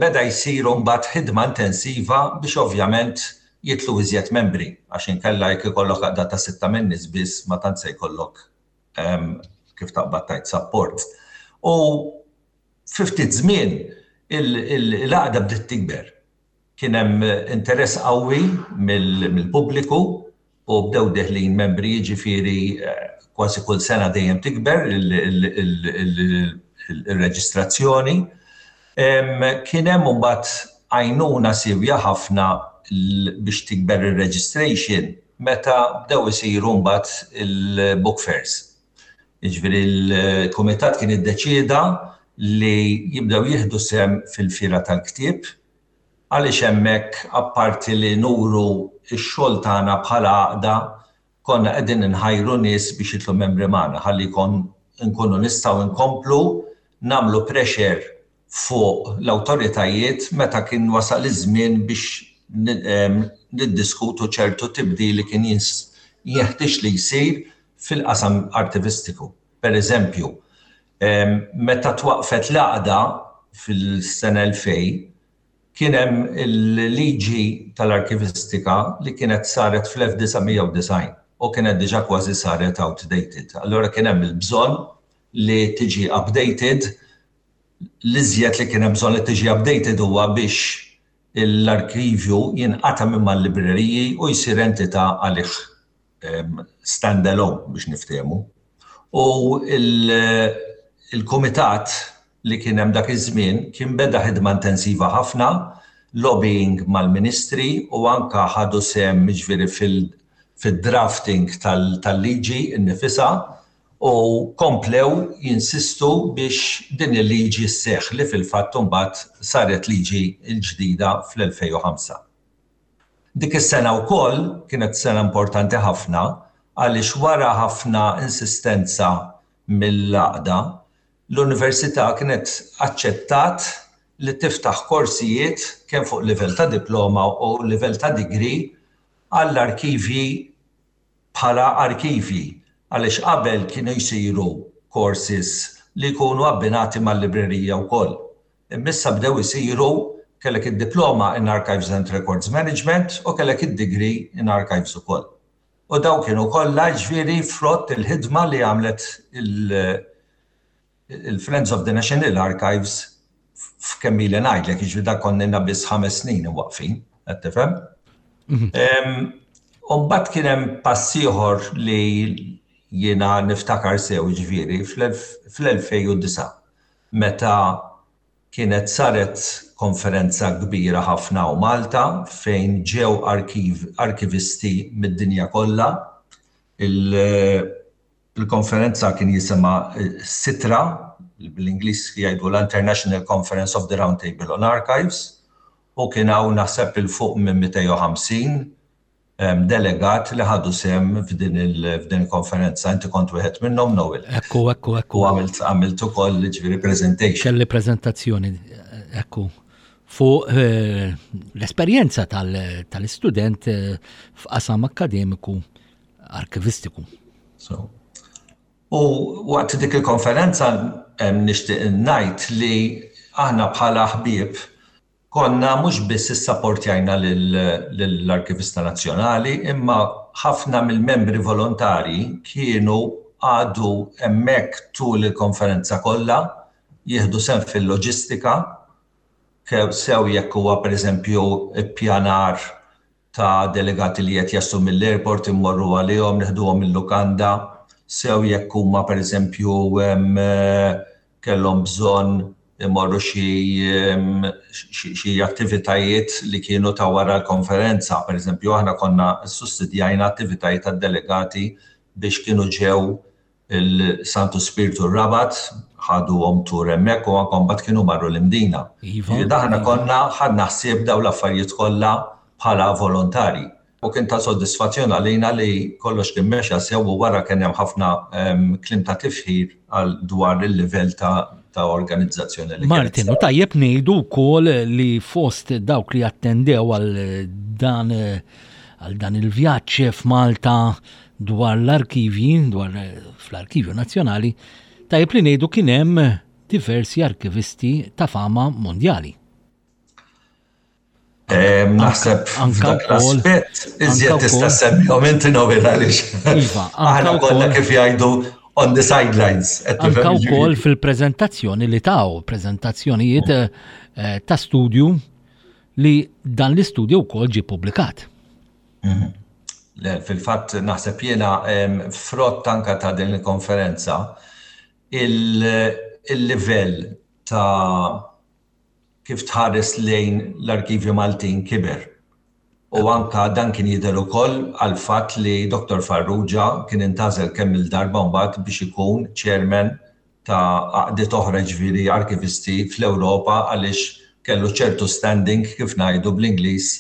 beda jsir mbagħad ħidma intensiva biex ovvjament jidħlu iżjed membri għax inkella jekk ikollok għaqda ta' sitta minn nies biss ma tant se jkollok kif taqbad tgħid support. U fi ftit żmien il-għaqda bdiet tikber. Kien hemm interess qawwi mill-pubbliku u bdew deħlin membri jiġifieri kważi kull sena dejjem tikber il-reġistrazzjoni. Kien hemm imbagħad għajnuna siewja ħafna biex tikber ir-registration meta bdew isiru mbagħad il-book fairs. Jiġifieri l-kumitat kien iddeċieda li jibdew jieħdu sehem fil-fiera tal-ktieb għaliex hemmhekk apparti li nuru x-xogħol tagħna bħala għaqda konna qegħdin inħajru nies biex jidħlu membri magħna ħalli nkunu nistgħu nkomplu nagħmlu pressure fuq l-awtoritajiet meta kien wasal iż-żmien biex niddiskutu ċertu tibdil li kien jeħtieġ li jsir fil-qasam artivistiku. Per eżempju, meta twaqfet l-għaqda fil-sena 2000, kien hemm il-liġi tal-arkivistika li kienet saret fl-1990 u kienet diġà kważi saret outdated. Allura kien hemm il-bżonn li tiġi updated. L-iżjed li kien hemm bżonn li tiġi updated huwa biex l-arkivju jinqata' minn mal-libreriji u jsir entità għalih stand alone biex niftehmu. U il-kumitat li kien hemm dak iż-żmien kien beda ħidma intensiva ħafna, lobbying mal-ministri u anka ħadu sehem jiġifieri fid-drafting tal-liġi nnifisha u komplew jinsistu biex din il-liġi sseħħ li fil-fatt imbagħad saret liġi l-ġdida fl-2005. Dik is-sena wkoll kienet sena importanti ħafna għaliex wara ħafna insistenza mill-għaqda, l-Università kienet aċċettat li tiftaħ korsijiet kemm fuq livell ta' diploma u livell ta' degree għall-arkivji bħala arkivji għaliex qabel kienu jsiru courses li jkunu abbinati mal-librerija wkoll. Imma issa bdew isiru kellek id-diploma in Archives and Records Management u kellek id-degree in Archives ukoll. U dawn kienu kollha jiġifieri frott il-ħidma li għamlet il-Friends of the National Archives f'kemm ili ngħidlek, jiġifieri dak konna ilna biss ħames snin imwaqqfin, qed tifhem? U mbagħad kien hemm pass ieħor li jiena niftakar sew jiġifieri fl-2009 meta Kienet saret konferenza kbira ħafna hawn Malta fejn ġew arkivisti mid-dinja kollha. Il-konferenza kien jisimha SITRA, bl-Ingliż jgħidulha International Conference of the Round Table on Archives, u kien hawn naħseb 'il fuq minn 250 delegat li ħadu sehem f'din il-konferenza. Inti kont wieħed minnhom, Noel. Ekku, ekku, ekku. U għamilt għamilt ukoll ġifieri presentation. Kelli prezentazzjoni, ekku, fuq eh, l-esperjenza tal-istudent eh, f'qasam akkademiku arkivistiku. So, u waqt dik il-konferenza nixtieq ngħid li aħna bħala ħbieb Konna mhux biss issapportjajna lill-Arkivista Nazzjonali imma ħafna mill-membri volontarji kienu qagħdu hemmhekk tul il-konferenza kollha jieħdu sehem fil-loġistika, sew jekk huwa pereżempju ppjanar ta' delegati li qed jaslu mill-airport immorru għalihom, neħduhom mil-lukanda, sew jekk huma pereżempju kellhom bżonn imorru xi xi attivitajiet li kienu ta' wara l-konferenza. Pereżempju aħna konna ssussidjajna attivitajiet tad-delegati biex kienu ġew il-Santu Spirtu r-Rabat, ħaduhom tour hemmhekk u anke mbagħad kienu marru l-Imdina. Iva. Jiġifieri aħna konna ħadna ħsieb dawn l-affarijiet kollha bħala volontarji. U kien ta' sodisfazzjon għalina li kollox kien mexa sew u wara kien hemm ħafna kliem ta' tifħir għal dwar il-livell ta' ta' organizzazzjoni li Martin, u tajjeb ngħidu wkoll li fost dawk li attendew għal dan eh, għal dan il-vjaġġ f'Malta dwar l-arkivji, dwar fl-Arkivju Nazzjonali, tajjeb li ngħidu kien hemm diversi arkivisti ta' fama mondjali. Naħseb f'dak l-aspett iżjed tista' semmihom inti Noel għaliex. Iva, aħna konna kif jgħidu on the sidelines. Anka wkoll fil-preżentazzjoni li taw, preżentazzjonijiet eh, ta' studju li dan l-istudju wkoll ġie publikat. Mhm. Le, fil-fatt naħseb jiena frott anka ta' din il-konferenza il-livell ta' kif tħares lejn l-arkivji Maltin kiber. U anka dan kien jidher ukoll għall-fatt li Dottor Farrugia kien intgħażel kemm-il darba mbagħad biex ikun chairman ta' għaqdiet oħra jiġifieri arkivisti fl-Ewropa għaliex kellu ċertu standing kif ngħidu bl-Ingliż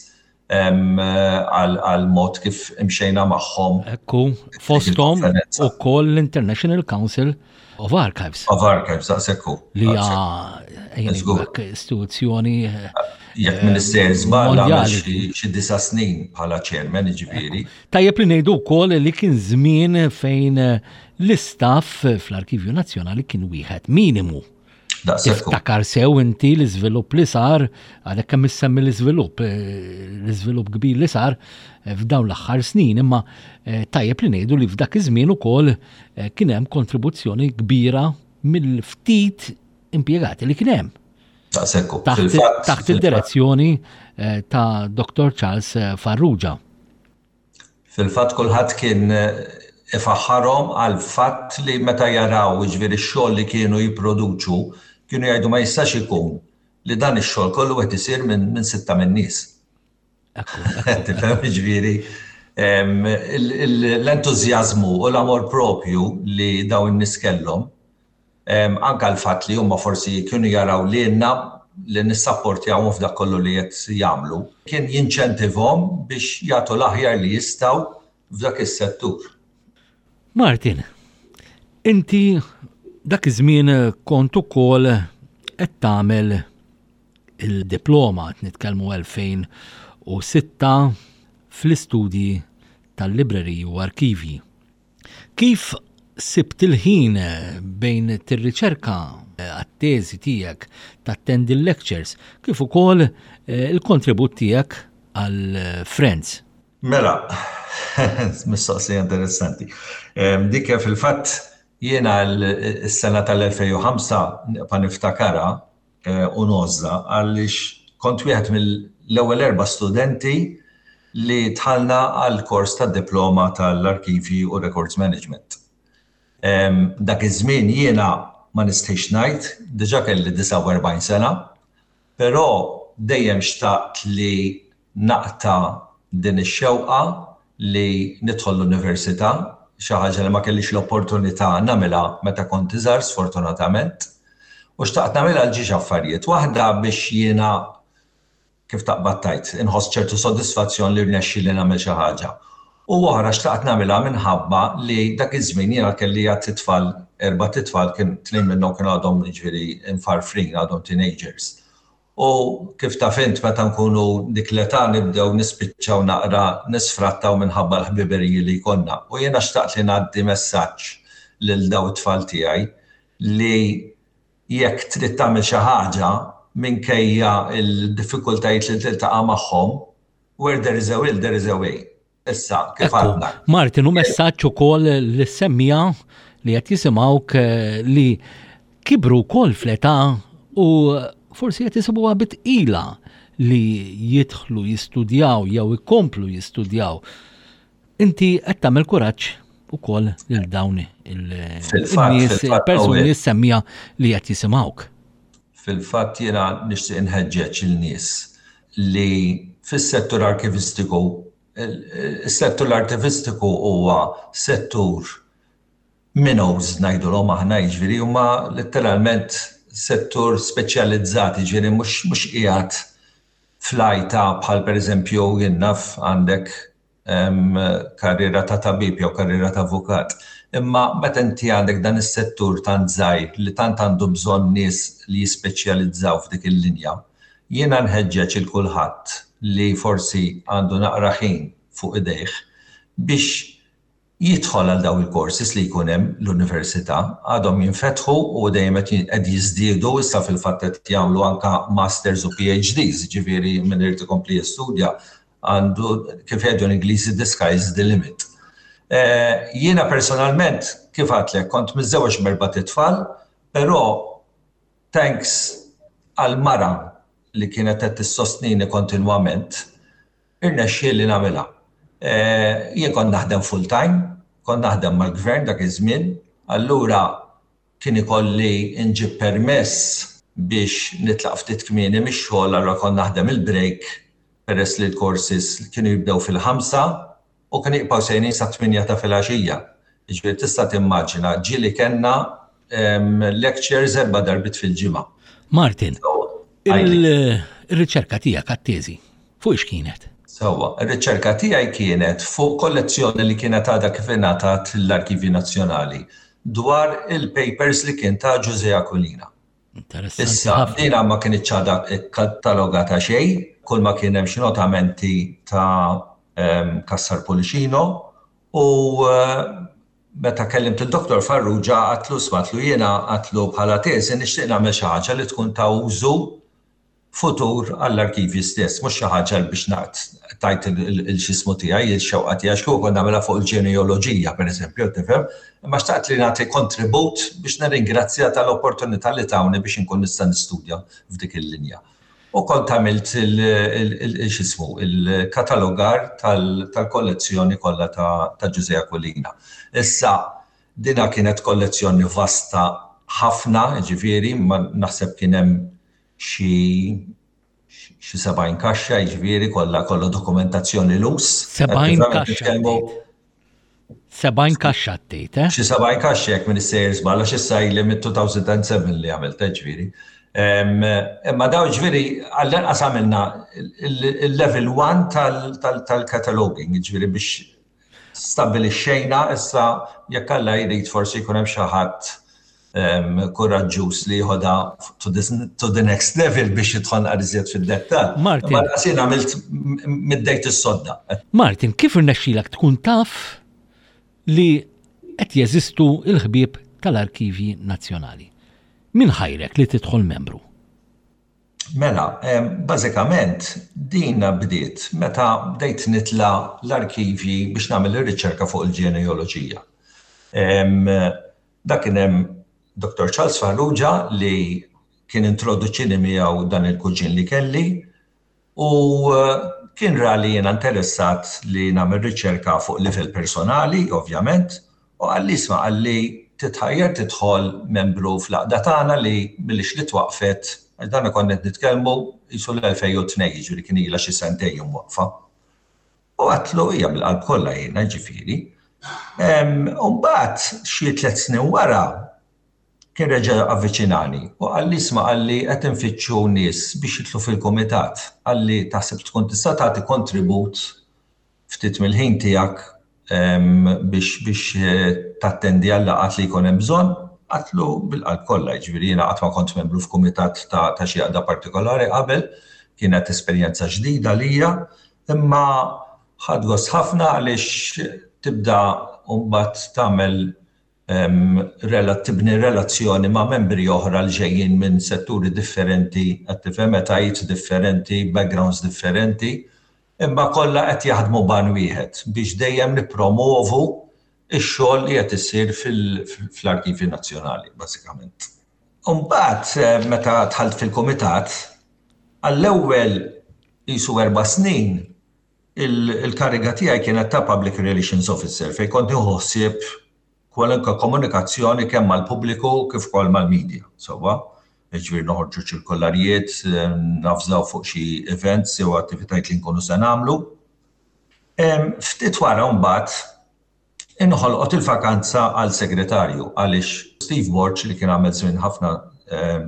għal mod kif imxejna magħhom. Ekku, fosthom ukoll l-International Council of Archives. Of Archives, daqshekk hu. Li hija istituzzjoni eh, Jekk Minister żball għamel xi disa' snin bħala chairman jiġifieri. Tajjeb li ngħidu wkoll li kien żmien fejn l-istaff fl-Arkivju Nazzjonali kien wieħed minimu. Tiftakar sew inti l-iżvilupp li sar, għadek kemm issemmi l-iżvilupp, eh, l-iżvilupp kbir li sar eh, f'dawn l-aħħar snin, imma eh, tajjeb li ngħidu li f'dak iż-żmien ukoll kien hemm kontribuzzjoni kbira mill-ftit impjegati li kien hemm. Taħt id-direzzjoni ta' Dr. Charles Farrugia. Fil-fatt kulħadd kien ifaħħarhom għall-fatt li meta jaraw jiġifieri x-xogħol li kienu jipproduċu, kienu jgħidu ma jistax ikun li dan ix-xogħol kollu qed isir minn sitta min-nies. Tifhem jiġifieri l-entużjażmu u l-amor propju li dawn in-nies kellhom Anke l-fatt li huma forsi kienu jaraw lilna li nissapportjawhom f'dak kollu li qed jagħmlu, kien jinċentivhom biex jagħtu l-aħjar li jistgħu f'dak is-settur. Martin, inti dak iż-żmien kont ukoll qed tagħmel il-diploma, qed nitkellmu 2006 fl-istudji tal-libreriji u arkivji. Kif sibt il-ħin bejn tirriċerka għat-teżi tiegħek, tattendi l-lectures, kif ukoll il-kontribut tiegħek għal Friends? Mela, mistoqsija interessanti. Dik fil-fatt jiena s-sena tal-2005 nibqa' niftakarha u ngħożżha għaliex kont wieħed mill-ewwel erba' studenti li dħalna għall-kors tad-diploma tal-Arkivji u Records Management. Dak iż-żmien jiena ma nistħix ngħid, diġà kelli 49 sena, però dejjem xtaqt li naqta' din ix-xewqa li nidħol l-università, xi ħaġa li ma kellix l-opportunità nagħmilha meta kont iżgħar sfortunatament. U xtaqt nagħmilha għal ġiex affarijiet. Waħda biex jiena kif taqbad tgħid, inħoss ċertu sodisfazzjon li rnexxieli nagħmel xi ħaġa. U oħra xtaqt nagħmilha minħabba li dak iż-żmien jiena kelli għadd itfal, erbat itfal kien tnejn minnhom kienu għadhom jiġifieri mfarfrin, għadhom teenagers. U kif taf int meta nkunu dik l-età nibdew nispiċċaw naqra nisfrattaw minħabba l-ħbiberiji li jkollna. U jiena xtaqt li ngħaddi messaġġ lil dawn it-tfal tiegħi li jekk trid tagħmel xi ħaġa minkejja l-diffikultajiet li tiltaqa' magħhom, where there is a will there is a way. Issa, kif għadna. Martin, u messaġġ ukoll li semmija li qed jisimgħuk eh, li kibru wkoll fl-età u forsi qed isibuha bitqila li jidħlu jistudjaw jew ikomplu jistudjaw. Inti qed tagħmel kuraġġ ukoll lil dawn il-nies, il-persuni li semmija li qed jisimgħuk. Fil-fatt jiena nixtieq inħeġġeġ il-nies li fis-settur arkivistiku, is-settur arkivistiku huwa settur minnows ngħidulhom aħna jiġifieri huma letteralment settur speċjalizzat jiġifieri mhux mhux qiegħed fl-għajta bħal pereżempju jien naf għandek karriera ta' tabib jew karriera ta' avukat. Imma meta inti għandek dan is-settur tant żgħir li tant għandu bżonn nies li jispeċjalizzaw f'dik il-linja, jiena nħeġġeġ il kulħadd li forsi għandu naqra ħin fuq idejh biex jidħol għal dawn il-courses li jkun hemm l-università. Għadhom jinfetħu u dejjem qed jiżdiedu, issa fil-fatt qed jagħmlu anke masters u PhDs, jiġifieri min irid ikompli jistudja għandu kif jgħidu l-Ingliżi the sky is the limit. Eh, jiena personalment kif għatlek kont miżżewweġ b'erbat itfal, però thanks għal mara li kienet qed tissostnini kontinwament, irnexxieli nagħmilha. Eh, jien kont naħdem full time, kont naħdem mal-gvern dak iż-żmien, allura kien ikolli nġib permess biex nitlaq ftit kmieni mix-xogħol allura kont naħdem il-break peress li l-courses kienu jibdew fil-ħamsa u kienu jibqgħu sejrin sat-tmienja ta' filgħaxija. Jiġifieri tista' timmaġina ġieli kellna lectures erba' darbiet fil-ġimgħa. Martin, il-riċerka tiegħek għat-teżi fuq ix kienet? Sewwa, ir-riċerka tiegħi kienet fuq kollezzjoni li kienet għadha kif ingħatat lill-Arkivji Nazzjonali dwar il-papers li kien ta Ġużè Aquilina. Issa, dina ma kinitx għadha kkatalogata xejn, kull ma kien hemm xi notamenti ta' Cassar Pullicino u meta kellimt il-Dottor Farrugia għadtlu isma' għadtlu jiena għadtlu bħala teżi nixtieq nagħmel xi ħaġa li tkun ta' użu futur għall-arkivji stess, mhux xi ħaġa biex naqt tajt il-xismu tiegħi, il-xewqa tiegħi, x'kieku kont nagħmilha fuq il-ġeneoloġija, pereżempju, tifhem, imma xtaqt li nagħti kontribut biex nirringrazzja tal-opportunità li tawni biex inkun nista' nistudja f'dik il-linja. U kont għamilt il-xismu, il-katalogar tal-kollezzjoni kollha ta' Ġużè Aquilina. Issa, dina kienet kollezzjoni vasta ħafna, ġifieri, ma naħseb kien hemm xi xi 70 kaxxa, jiġifieri kollha kollha dokumentazzjoni lus. 70 kaxxa. 70 kaxxa tgħid, eh? Xi 70 kaxxa jekk minn issejjer żball għax issa ili mit-2007 li għamilt, eh, ġifieri. Imma daw ġifieri għall-inqas għamilna il-level 1 tal-cataloging, ġifieri biex stabbilixxejna issa jekk Alla jrid forsi jkun hemm xi ħadd kuraġġuż li jieħodha to the, to the next level biex jidħol naqra iżjed fid-dettall. Martin. Ma jien għamilt middejt is-sodda. Martin, kif irnexxilek tkun taf li qed jeżistu l-ħbieb tal-Arkivji Nazzjonali? Min ħajrek li tidħol membru? Mela, bażikament din bdiet meta bdejt nitla' l-arkivji biex nagħmel ir-riċerka fuq il-ġenealoġija. Dak kien hemm Dr. Charles Farrugia li kien introduċini miegħu dan il-kuġin li kelli u kien ra li jiena interessat li nagħmel riċerka fuq livell personali, ovvjament, u qalli isma' qalli titħajjar tidħol membru fl-għaqda tagħna li milix li twaqqfet, għax dan konna qed nitkellmu qisu l-2002, jiġifieri kien ilha xi sentejn imwaqqfa. U għedtlu hija bil-qalb kollha jiena, jiġifieri. U mbagħad xi tliet snin wara kien reġa' avviċinani u qalli isma' qalli qed infittxu nies biex jidħlu fil-kumitat. Qalli taħseb tkun tista' tagħti kontribut ftit mill-ħin tiegħek biex biex tattendi għal-laqgħat li jkun hemm bżonn? Għedtlu bil-qalb kollha, jiġifieri jiena qatt ma kont membru f'kumitat ta' ta' xi għaqda partikolari qabel, kienet esperjenza ġdida għalija, imma ħadt gost ħafna għaliex tibda mbagħad tagħmel tibni relazzjoni ma' membri oħra li ġejjin minn setturi differenti, qed tifhem, etajiet differenti, backgrounds differenti, imma kollha qed jaħdmu b'għan wieħed biex dejjem nippromovu x-xogħol li qed isir fl-Arkivji Nazzjonali, bażikament. U mbagħad meta dħalt fil-kumitat, għall-ewwel qisu erba' snin Il-kariga tiegħi kienet ta' Public Relations Officer fejn kont nieħu ħsieb kwalunkwe komunikazzjoni kemm mal-pubbliku kif ukoll mal-media, sewwa? Jiġifieri noħorġu ċirkolarijiet, navżaw fuq xi events jew attivitajiet li nkunu se nagħmlu. Ftit wara mbagħad Inħolqot il-vakanza għal segretarju għaliex Steve Borg li kien għamel żmien ħafna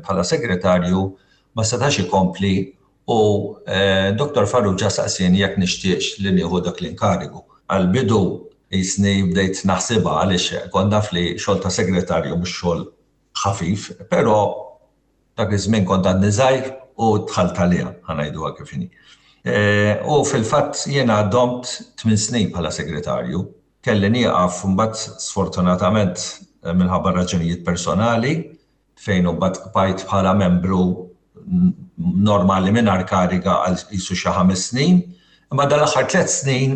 bħala segretarju ma setax ikompli u Dottor Farrugia saqsieni jekk nixtieqx li nieħu dak l-inkarigu. Għall-bidu qisni bdejt naħsibha għaliex kont naf li xogħol ta' segretarju mhux xogħol ħafif, però Dak iż-żmien kont għadni żgħir u dħalt għaliha, ħa ngħiduha kif inhi. U fil-fatt jiena domt tmin snin bħala segretarju. Kelli nieqaf mbagħad sfortunatament minħabba raġunijiet personali fejn imbagħad bqajt bħala membru normali mingħajr kariga għal qisu xi ħames snin. Imma dal-aħħar tliet snin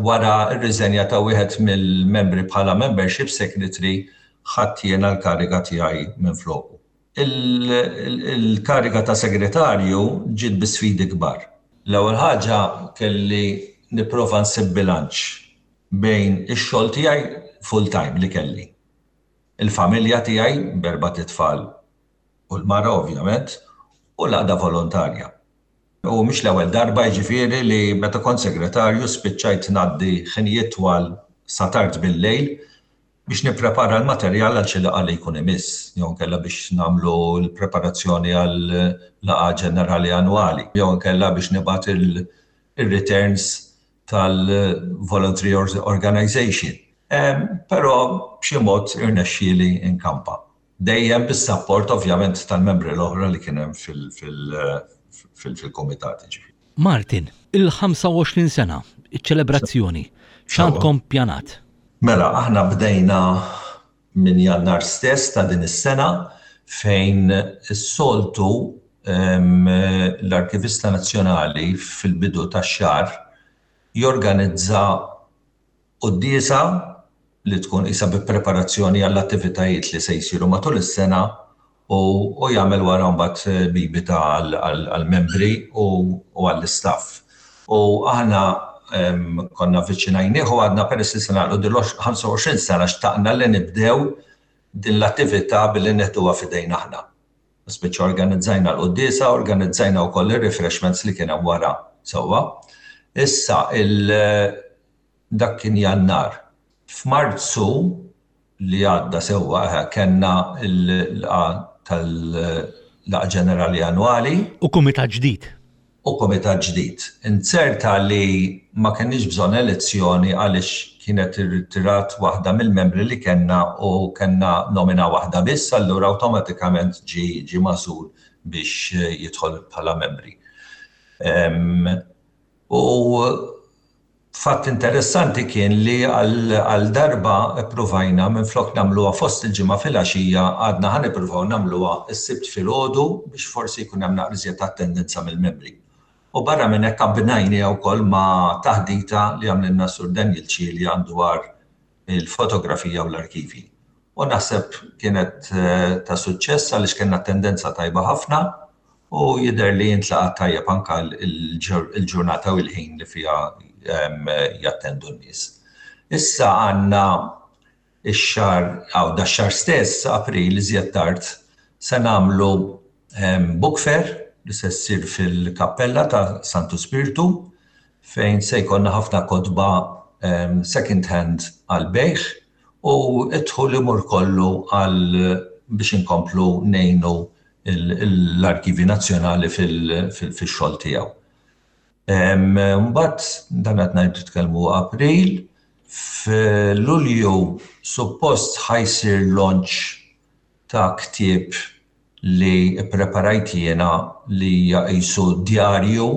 wara r-riżenja ta' wieħed mill-membri bħala membership secretary ħadt jiena l-kariga tiegħi minfloku. Il-kariga ta' segretarju ġiet bi sfidi kbar. L-ewwel ħaġa kelli nipprova nsib bilanċ bejn ix-xogħol tiegħi full-time li kelli, il-familja tiegħi b'erbat itfal u l-mara ovvjament, u l-għaqda volontarja. U mhix l-ewwel darba jiġifieri li meta kont segretarju spiċċajt ngħaddi ħinijiet twal sa tard bil-lejl biex nipprepara l-materjal għal xi laqgħa li jkun imiss, jew inkella biex nagħmlu l-preparazzjoni għal laqgħa ġenerali annwali, jew inkella biex nibgħat ir-returns tal-Voluntary Organization. Però b'xi mod irnexxieli nkampa. Dejjem bis-sapport ovvjament tal-membri l-oħra li kien hemm fil-kumitat jiġifieri. Martin, il-25 sena, iċ-ċelebrazzjoni, x'għandkom ppjanat? Mela, aħna bdejna minn Jannar stess ta' din is-sena fejn is-soltu l-Arkivista Nazzjonali fil-bidu tax-xahar jorganizza Quddiesa li tkun qisha bi preparazzjoni għall-attivitajiet li se jsiru matul is-sena u u jagħmel wara mbagħad bibita għall-membri u għall-istaff. U aħna konna avviċinajnieh u għadna peress li se nagħlqu din l-25 sena xtaqna li nibdew din l-attività billi neħduha f'idejna aħna. Spiċċa organizzajna l-quddiesa, organizzajna wkoll ir-refreshments li kien hemm wara sewwa. Issa il Dak kien Jannar. F'Marzu li għadda sewwa eħe kellna l-laqgħa tal-laqgħa ġenerali annwali. U kumitat ġdid. U kumitat ġdid. Inzerta li ma kenniex bżonn elezzjoni għaliex kienet irtirat waħda mill-membri li kellna u kellna nomina waħda biss allura awtomatikament ġie ġie magħżul biex jidħol bħala membri. U Fatt interessanti kien li għal darba ppruvajna minflok nagħmluha fost il-ġimgħa filgħaxija għadna ħa nippruvaw nagħmluha s-Sibt filgħodu biex forsi jkun hemm naqra iżjed attendenza mill-membri. U barra minn hekk abbinajniha wkoll ma' taħdita li għamlilna s-Sur Daniel Cilia dwar il-fotografija u l-arkivji. U naħseb kienet ta' suċċess għaliex kellna attendenza tajba ħafna u jidher li jintlaqat tajjeb anke l-ġurnata u l-ħin li fiha jattendu n-nies. Issa għandna x-xahar, aw dax-xahar stess, April, iżjed tard, se nagħmlu book fair li se ssir fil-kappella ta' Santu Spirtu fejn se jkollna ħafna kotba second hand għall-bejgħ u d-dħul imur kollu għal biex inkomplu ngħinu l-Arkivji Nazzjonali fix-xogħol tiegħu. Mbagħad dan qed ngħidu tkellmu April, f'Lulju suppost ħa jsir launch ta' ktieb li ppreparajt jiena li hija qisu djarju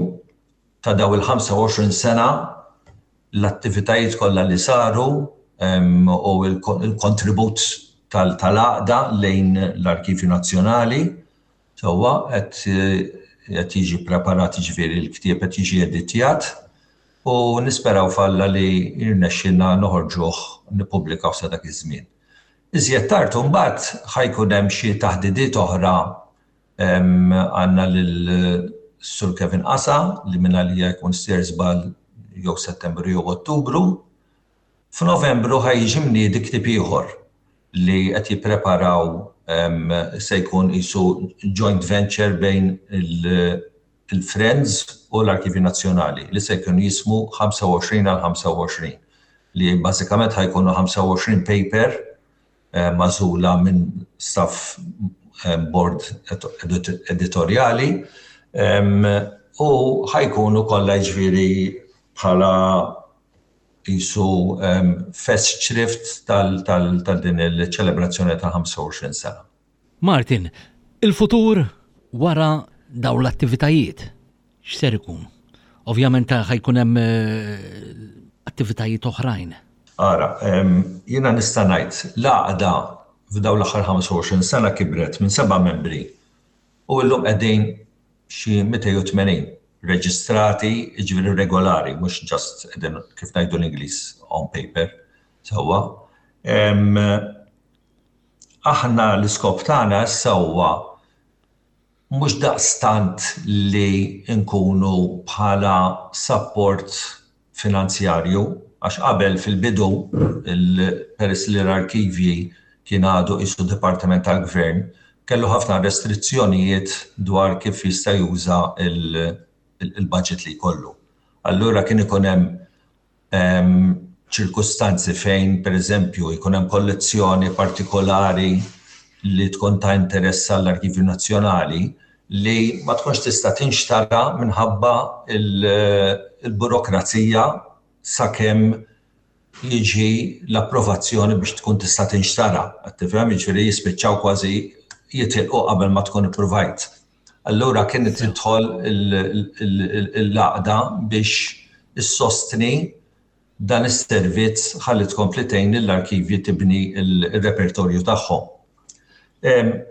ta' dawn il-25 sena l-attivitajiet kollha li saru u l-kontribut tal-għaqda lejn l-Arkivju Nazzjonali. Sewwa qed jiġi ppreparat jiġifieri l-ktieb qed jiġi editjat u nisperaw f'Alla li jirnexxilna noħorġuh nippubblikawh sa dak iż-żmien. Iżjed tard imbagħad ħa jkun hemm xi taħdidiet oħra Għandna lil Sur Kevin Qasa li minn għalija jkun sejjer żball jew Settembru jew Ottubru. F'Novembru ħa jiġi mniedi ktieb ieħor li qed jippreparaw se jkun qisu joint venture bejn il-Friends u l-Arkivju Nazzjonali li se jkun jismu 25 għal 25 li bażikament ħa jkunu 25 paper magħżula minn staff board editorjali u ħajkunu kollha jiġifieri bħala qisu festschrift tal din il-ċelebrazzjoni ta' 25 sena. Martin, il-futur wara dawn l-attivitajiet x'ser ikun? Ovvjament ħajkun hemm attivitajiet oħrajn. Ara, jiena nista' ngħid l-għaqda f'dawn l-aħħar 25 sena kibret minn seba' membri u llum qegħdin xi 280 reġistrati, jiġifieri regolari, mhux just qegħdin kif ngħidu l-Ingliż on paper, sewwa. Aħna l-iskop tagħna issa huwa mhux daqstant li nkunu bħala support finanzjarju, għax qabel fil-bidu, peress li l-arkivji kien għadu qisu dipartiment tal-gvern, kellu ħafna restrizzjonijiet dwar kif jista' juża l-budget li jkollu. Allura kien ikun hemm ċirkustanzi fejn, pereżempju, jkun hemm kollezzjoni partikolari li tkun ta' interess għall-Arkivju Nazzjonali li ma tkunx tista' tinxtara minħabba l-burokrazija sakemm jiġi l-approvazzjoni biex tkun tista' tinxtara. Qed tifhem? Jiġifieri jispiċċaw kważi jitilqu qabel ma tkun ippruvajt. Allura kienet tidħol l-għaqda biex issostni dan is-servizz ħalli tkompli tgħin lill-arkivji tibni r-repertorju tagħhom.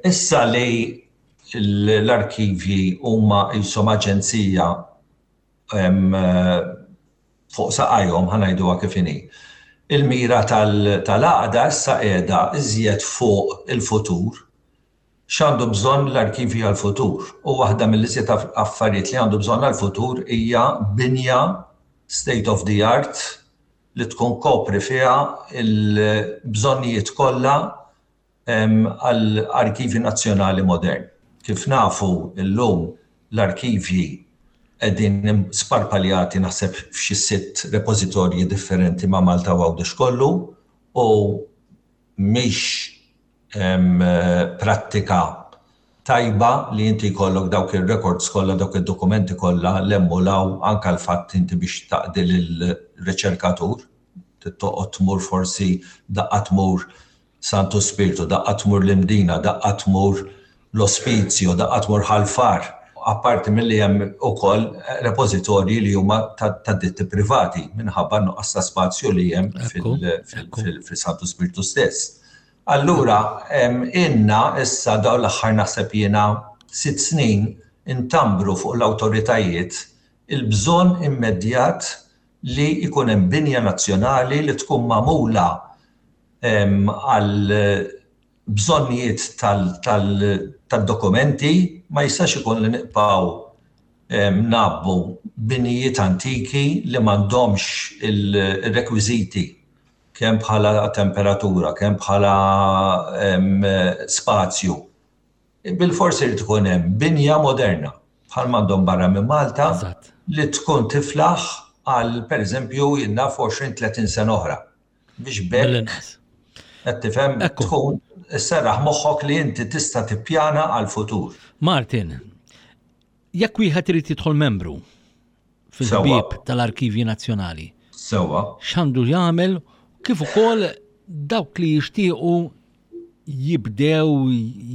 Issa li l-arkivji huma qishom aġenzija fuq saqajhom, ħa ngħiduha kif inhi, il-mira tal-għaqda issa qiegħda iżjed fuq il-futur X'għandu bżonn l-arkivji għall-futur? U waħda mill-iżjed affarijiet li għandu bżonn għall-futur hija binja state of the art li tkun kopri fiha l-bżonnijiet kollha għal arkivji nazzjonali modern. Kif nafu llum l-arkivji qegħdin sparpaljati naħseb f'xi sitt repożitorji differenti ma' Malta u Għawdex kollu u mhix prattika tajba li inti jkollok dawk ir-records kollha, dawk id-dokumenti kollha 'l hemm u 'l hawn, anke l-fatt inti biex taqdi lill-riċerkatur, trid toqgħod tmur forsi daqqa tmur Santu Spirtu, daqqa tmur l-Imdina, daqqa tmur l-Ospizio, daqqa tmur Ħal Far, apparti milli hemm ukoll repożitorji li huma ta' ditti privati minħabba n-nuqqas ta' spazju li hemm fil-Santu Spirtu stess. Allura ilna issa dawn l-aħħar naħseb jiena sitt snin intambru fuq l-awtoritajiet il-bżonn immedjat li jkun hemm binja nazzjonali li tkun magħmula għal bżonnijiet tad-dokumenti, ma jistax ikun li nibqgħu ngħabbu binijiet antiki li m'għandhomx ir-rekwiżiti kemm bħala temperatura, kemm bħala spazju. Bilfors irid ikun hemm binja moderna bħal m'għandhom barra minn Malta li tkun tiflaħ għal pereżempju jien naf 20-30 sena oħra. Biex b'hekk qed tifhem tkun isserraħ moħħok li inti tista' tippjana għall-futur. Martin, jekk wieħed irid jidħol membru fil-ħbieb tal-Arkivji Nazzjonali. Sewwa. X'għandu jagħmel kif ukoll dawk li jixtiequ jibdew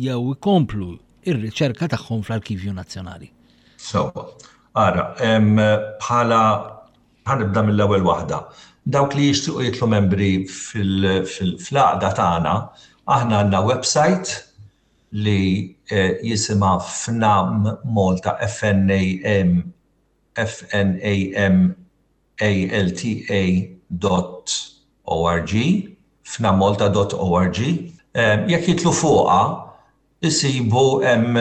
jew ikomplu ir-riċerka tagħhom fl-Arkivju Nazzjonali. Sewwa. Ara, bħala ħanibda mill-ewwel waħda. Dawk li jixtiequ jitlu membri fil-għaqda tagħna, aħna għandna website li jisimha FNAM Malta, F-N-A-M, F-N-A-M A-L-T-A dot O-R-G, fnammalta dot O-R-G. Jekk jidħlu fuqha, isibu hemm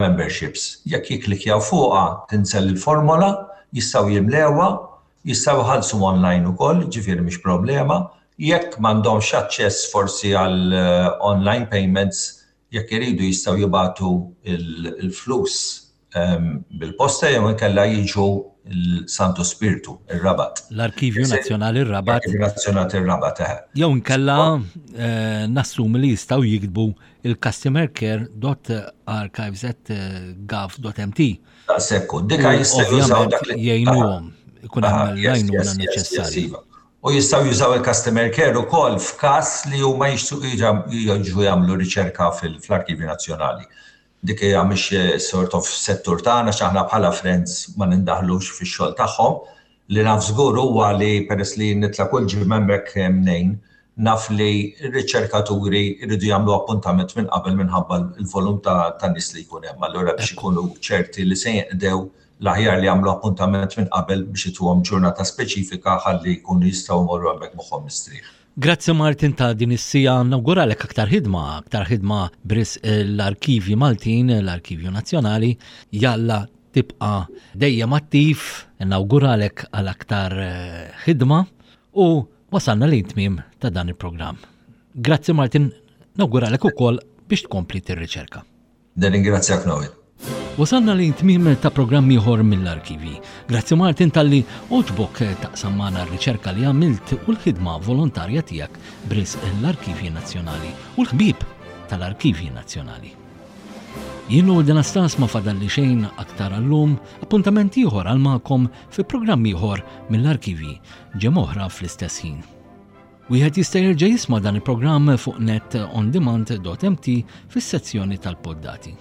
memberships. Jekk jikklikkjaw fuqha, tinżel il-formola, jistgħu jimlewha, jistgħu jħallsu online ukoll, jiġifieri mhix problema. Jekk m'għandhomx aċċess forsi għal online payments, jekk iridu jistgħu jibagħtu l-flus bil-posta jew inkella jiġu l-Santu Spirtu, ir-Rabat. L-Arkivju Nazzjonali r-Rabat. L-Arkivju Nazzjonali r-Rabat, eħe. Jew inkella nassumi li jistgħu jiktbu il-customercare.archives@gov.mt. Daqshekk hu. Dika jistgħu jużaw dak li jgħinuhom ikun hemm l-għajnuna neċessarja. Iva. U jistgħu jużaw il-customer care ukoll f'każ li huma jixtiequ jiġu jagħmlu riċerka fl-Arkivju Nazzjonali. Dik hija mhix sort of settur tagħna għax aħna bħala Friends ma nindaħlux fix-xogħol tagħhom. Li naf żgur huwa li peress li nitla' kull ġimgħa hemmhekk ngħin, naf li r-riċerkaturi jridu jagħmlu appuntament minn qabel minħabba l-volum ta' nies li jkun hemm. Allura biex ikunu ċerti li se jinqdew l-aħjar li jagħmlu appuntament minn qabel biex ituhom ġurnata speċifika ħalli jkunu jistgħu jmorru hemmhekk moħħhom mistrieħ. Grazzi Martin ta' din is-siegħa, nawguralek aktar ħidma, aktar ħidma b'risq l-arkivji Maltin, l-Arkivju Nazzjonali, jalla tibqa' dejjem attiv, nawguralek għal aktar eh, ħidma u wasalna lejn tmiem ta' dan il-programm. Grazzi Martin, nawguralek ukoll biex tkompli tirriċerka. Nirringrazzjak Noel. Wasalna lejn tmiem ta' programm ieħor mill-arkivi. Grazzi Martin talli għoġbok taqsam magħna r-riċerka li għamilt u l-ħidma volontarja tiegħek b'risq l-Arkivji Nazzjonali u l-ħbieb tal-Arkivji Nazzjonali. Jien Noel Denastas ma fadalli xejn aktar għallum, appuntament ieħor għal magħkom fi programm ieħor mill-arkivi ġemgħa oħra fl-istess ħin. Wieħed jista' jerġa' jisma' dan il-programm fuq netondemand.mt fis-sezzjoni tal-poddati.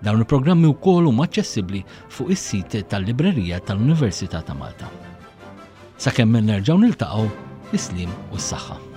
Dawn il-programmi wkoll huma aċċessibbli fuq is-sit tal-Librerija tal-Università ta' Malta. Sakemm nerġgħu niltaqgħu, is-sliem u s-saħħa.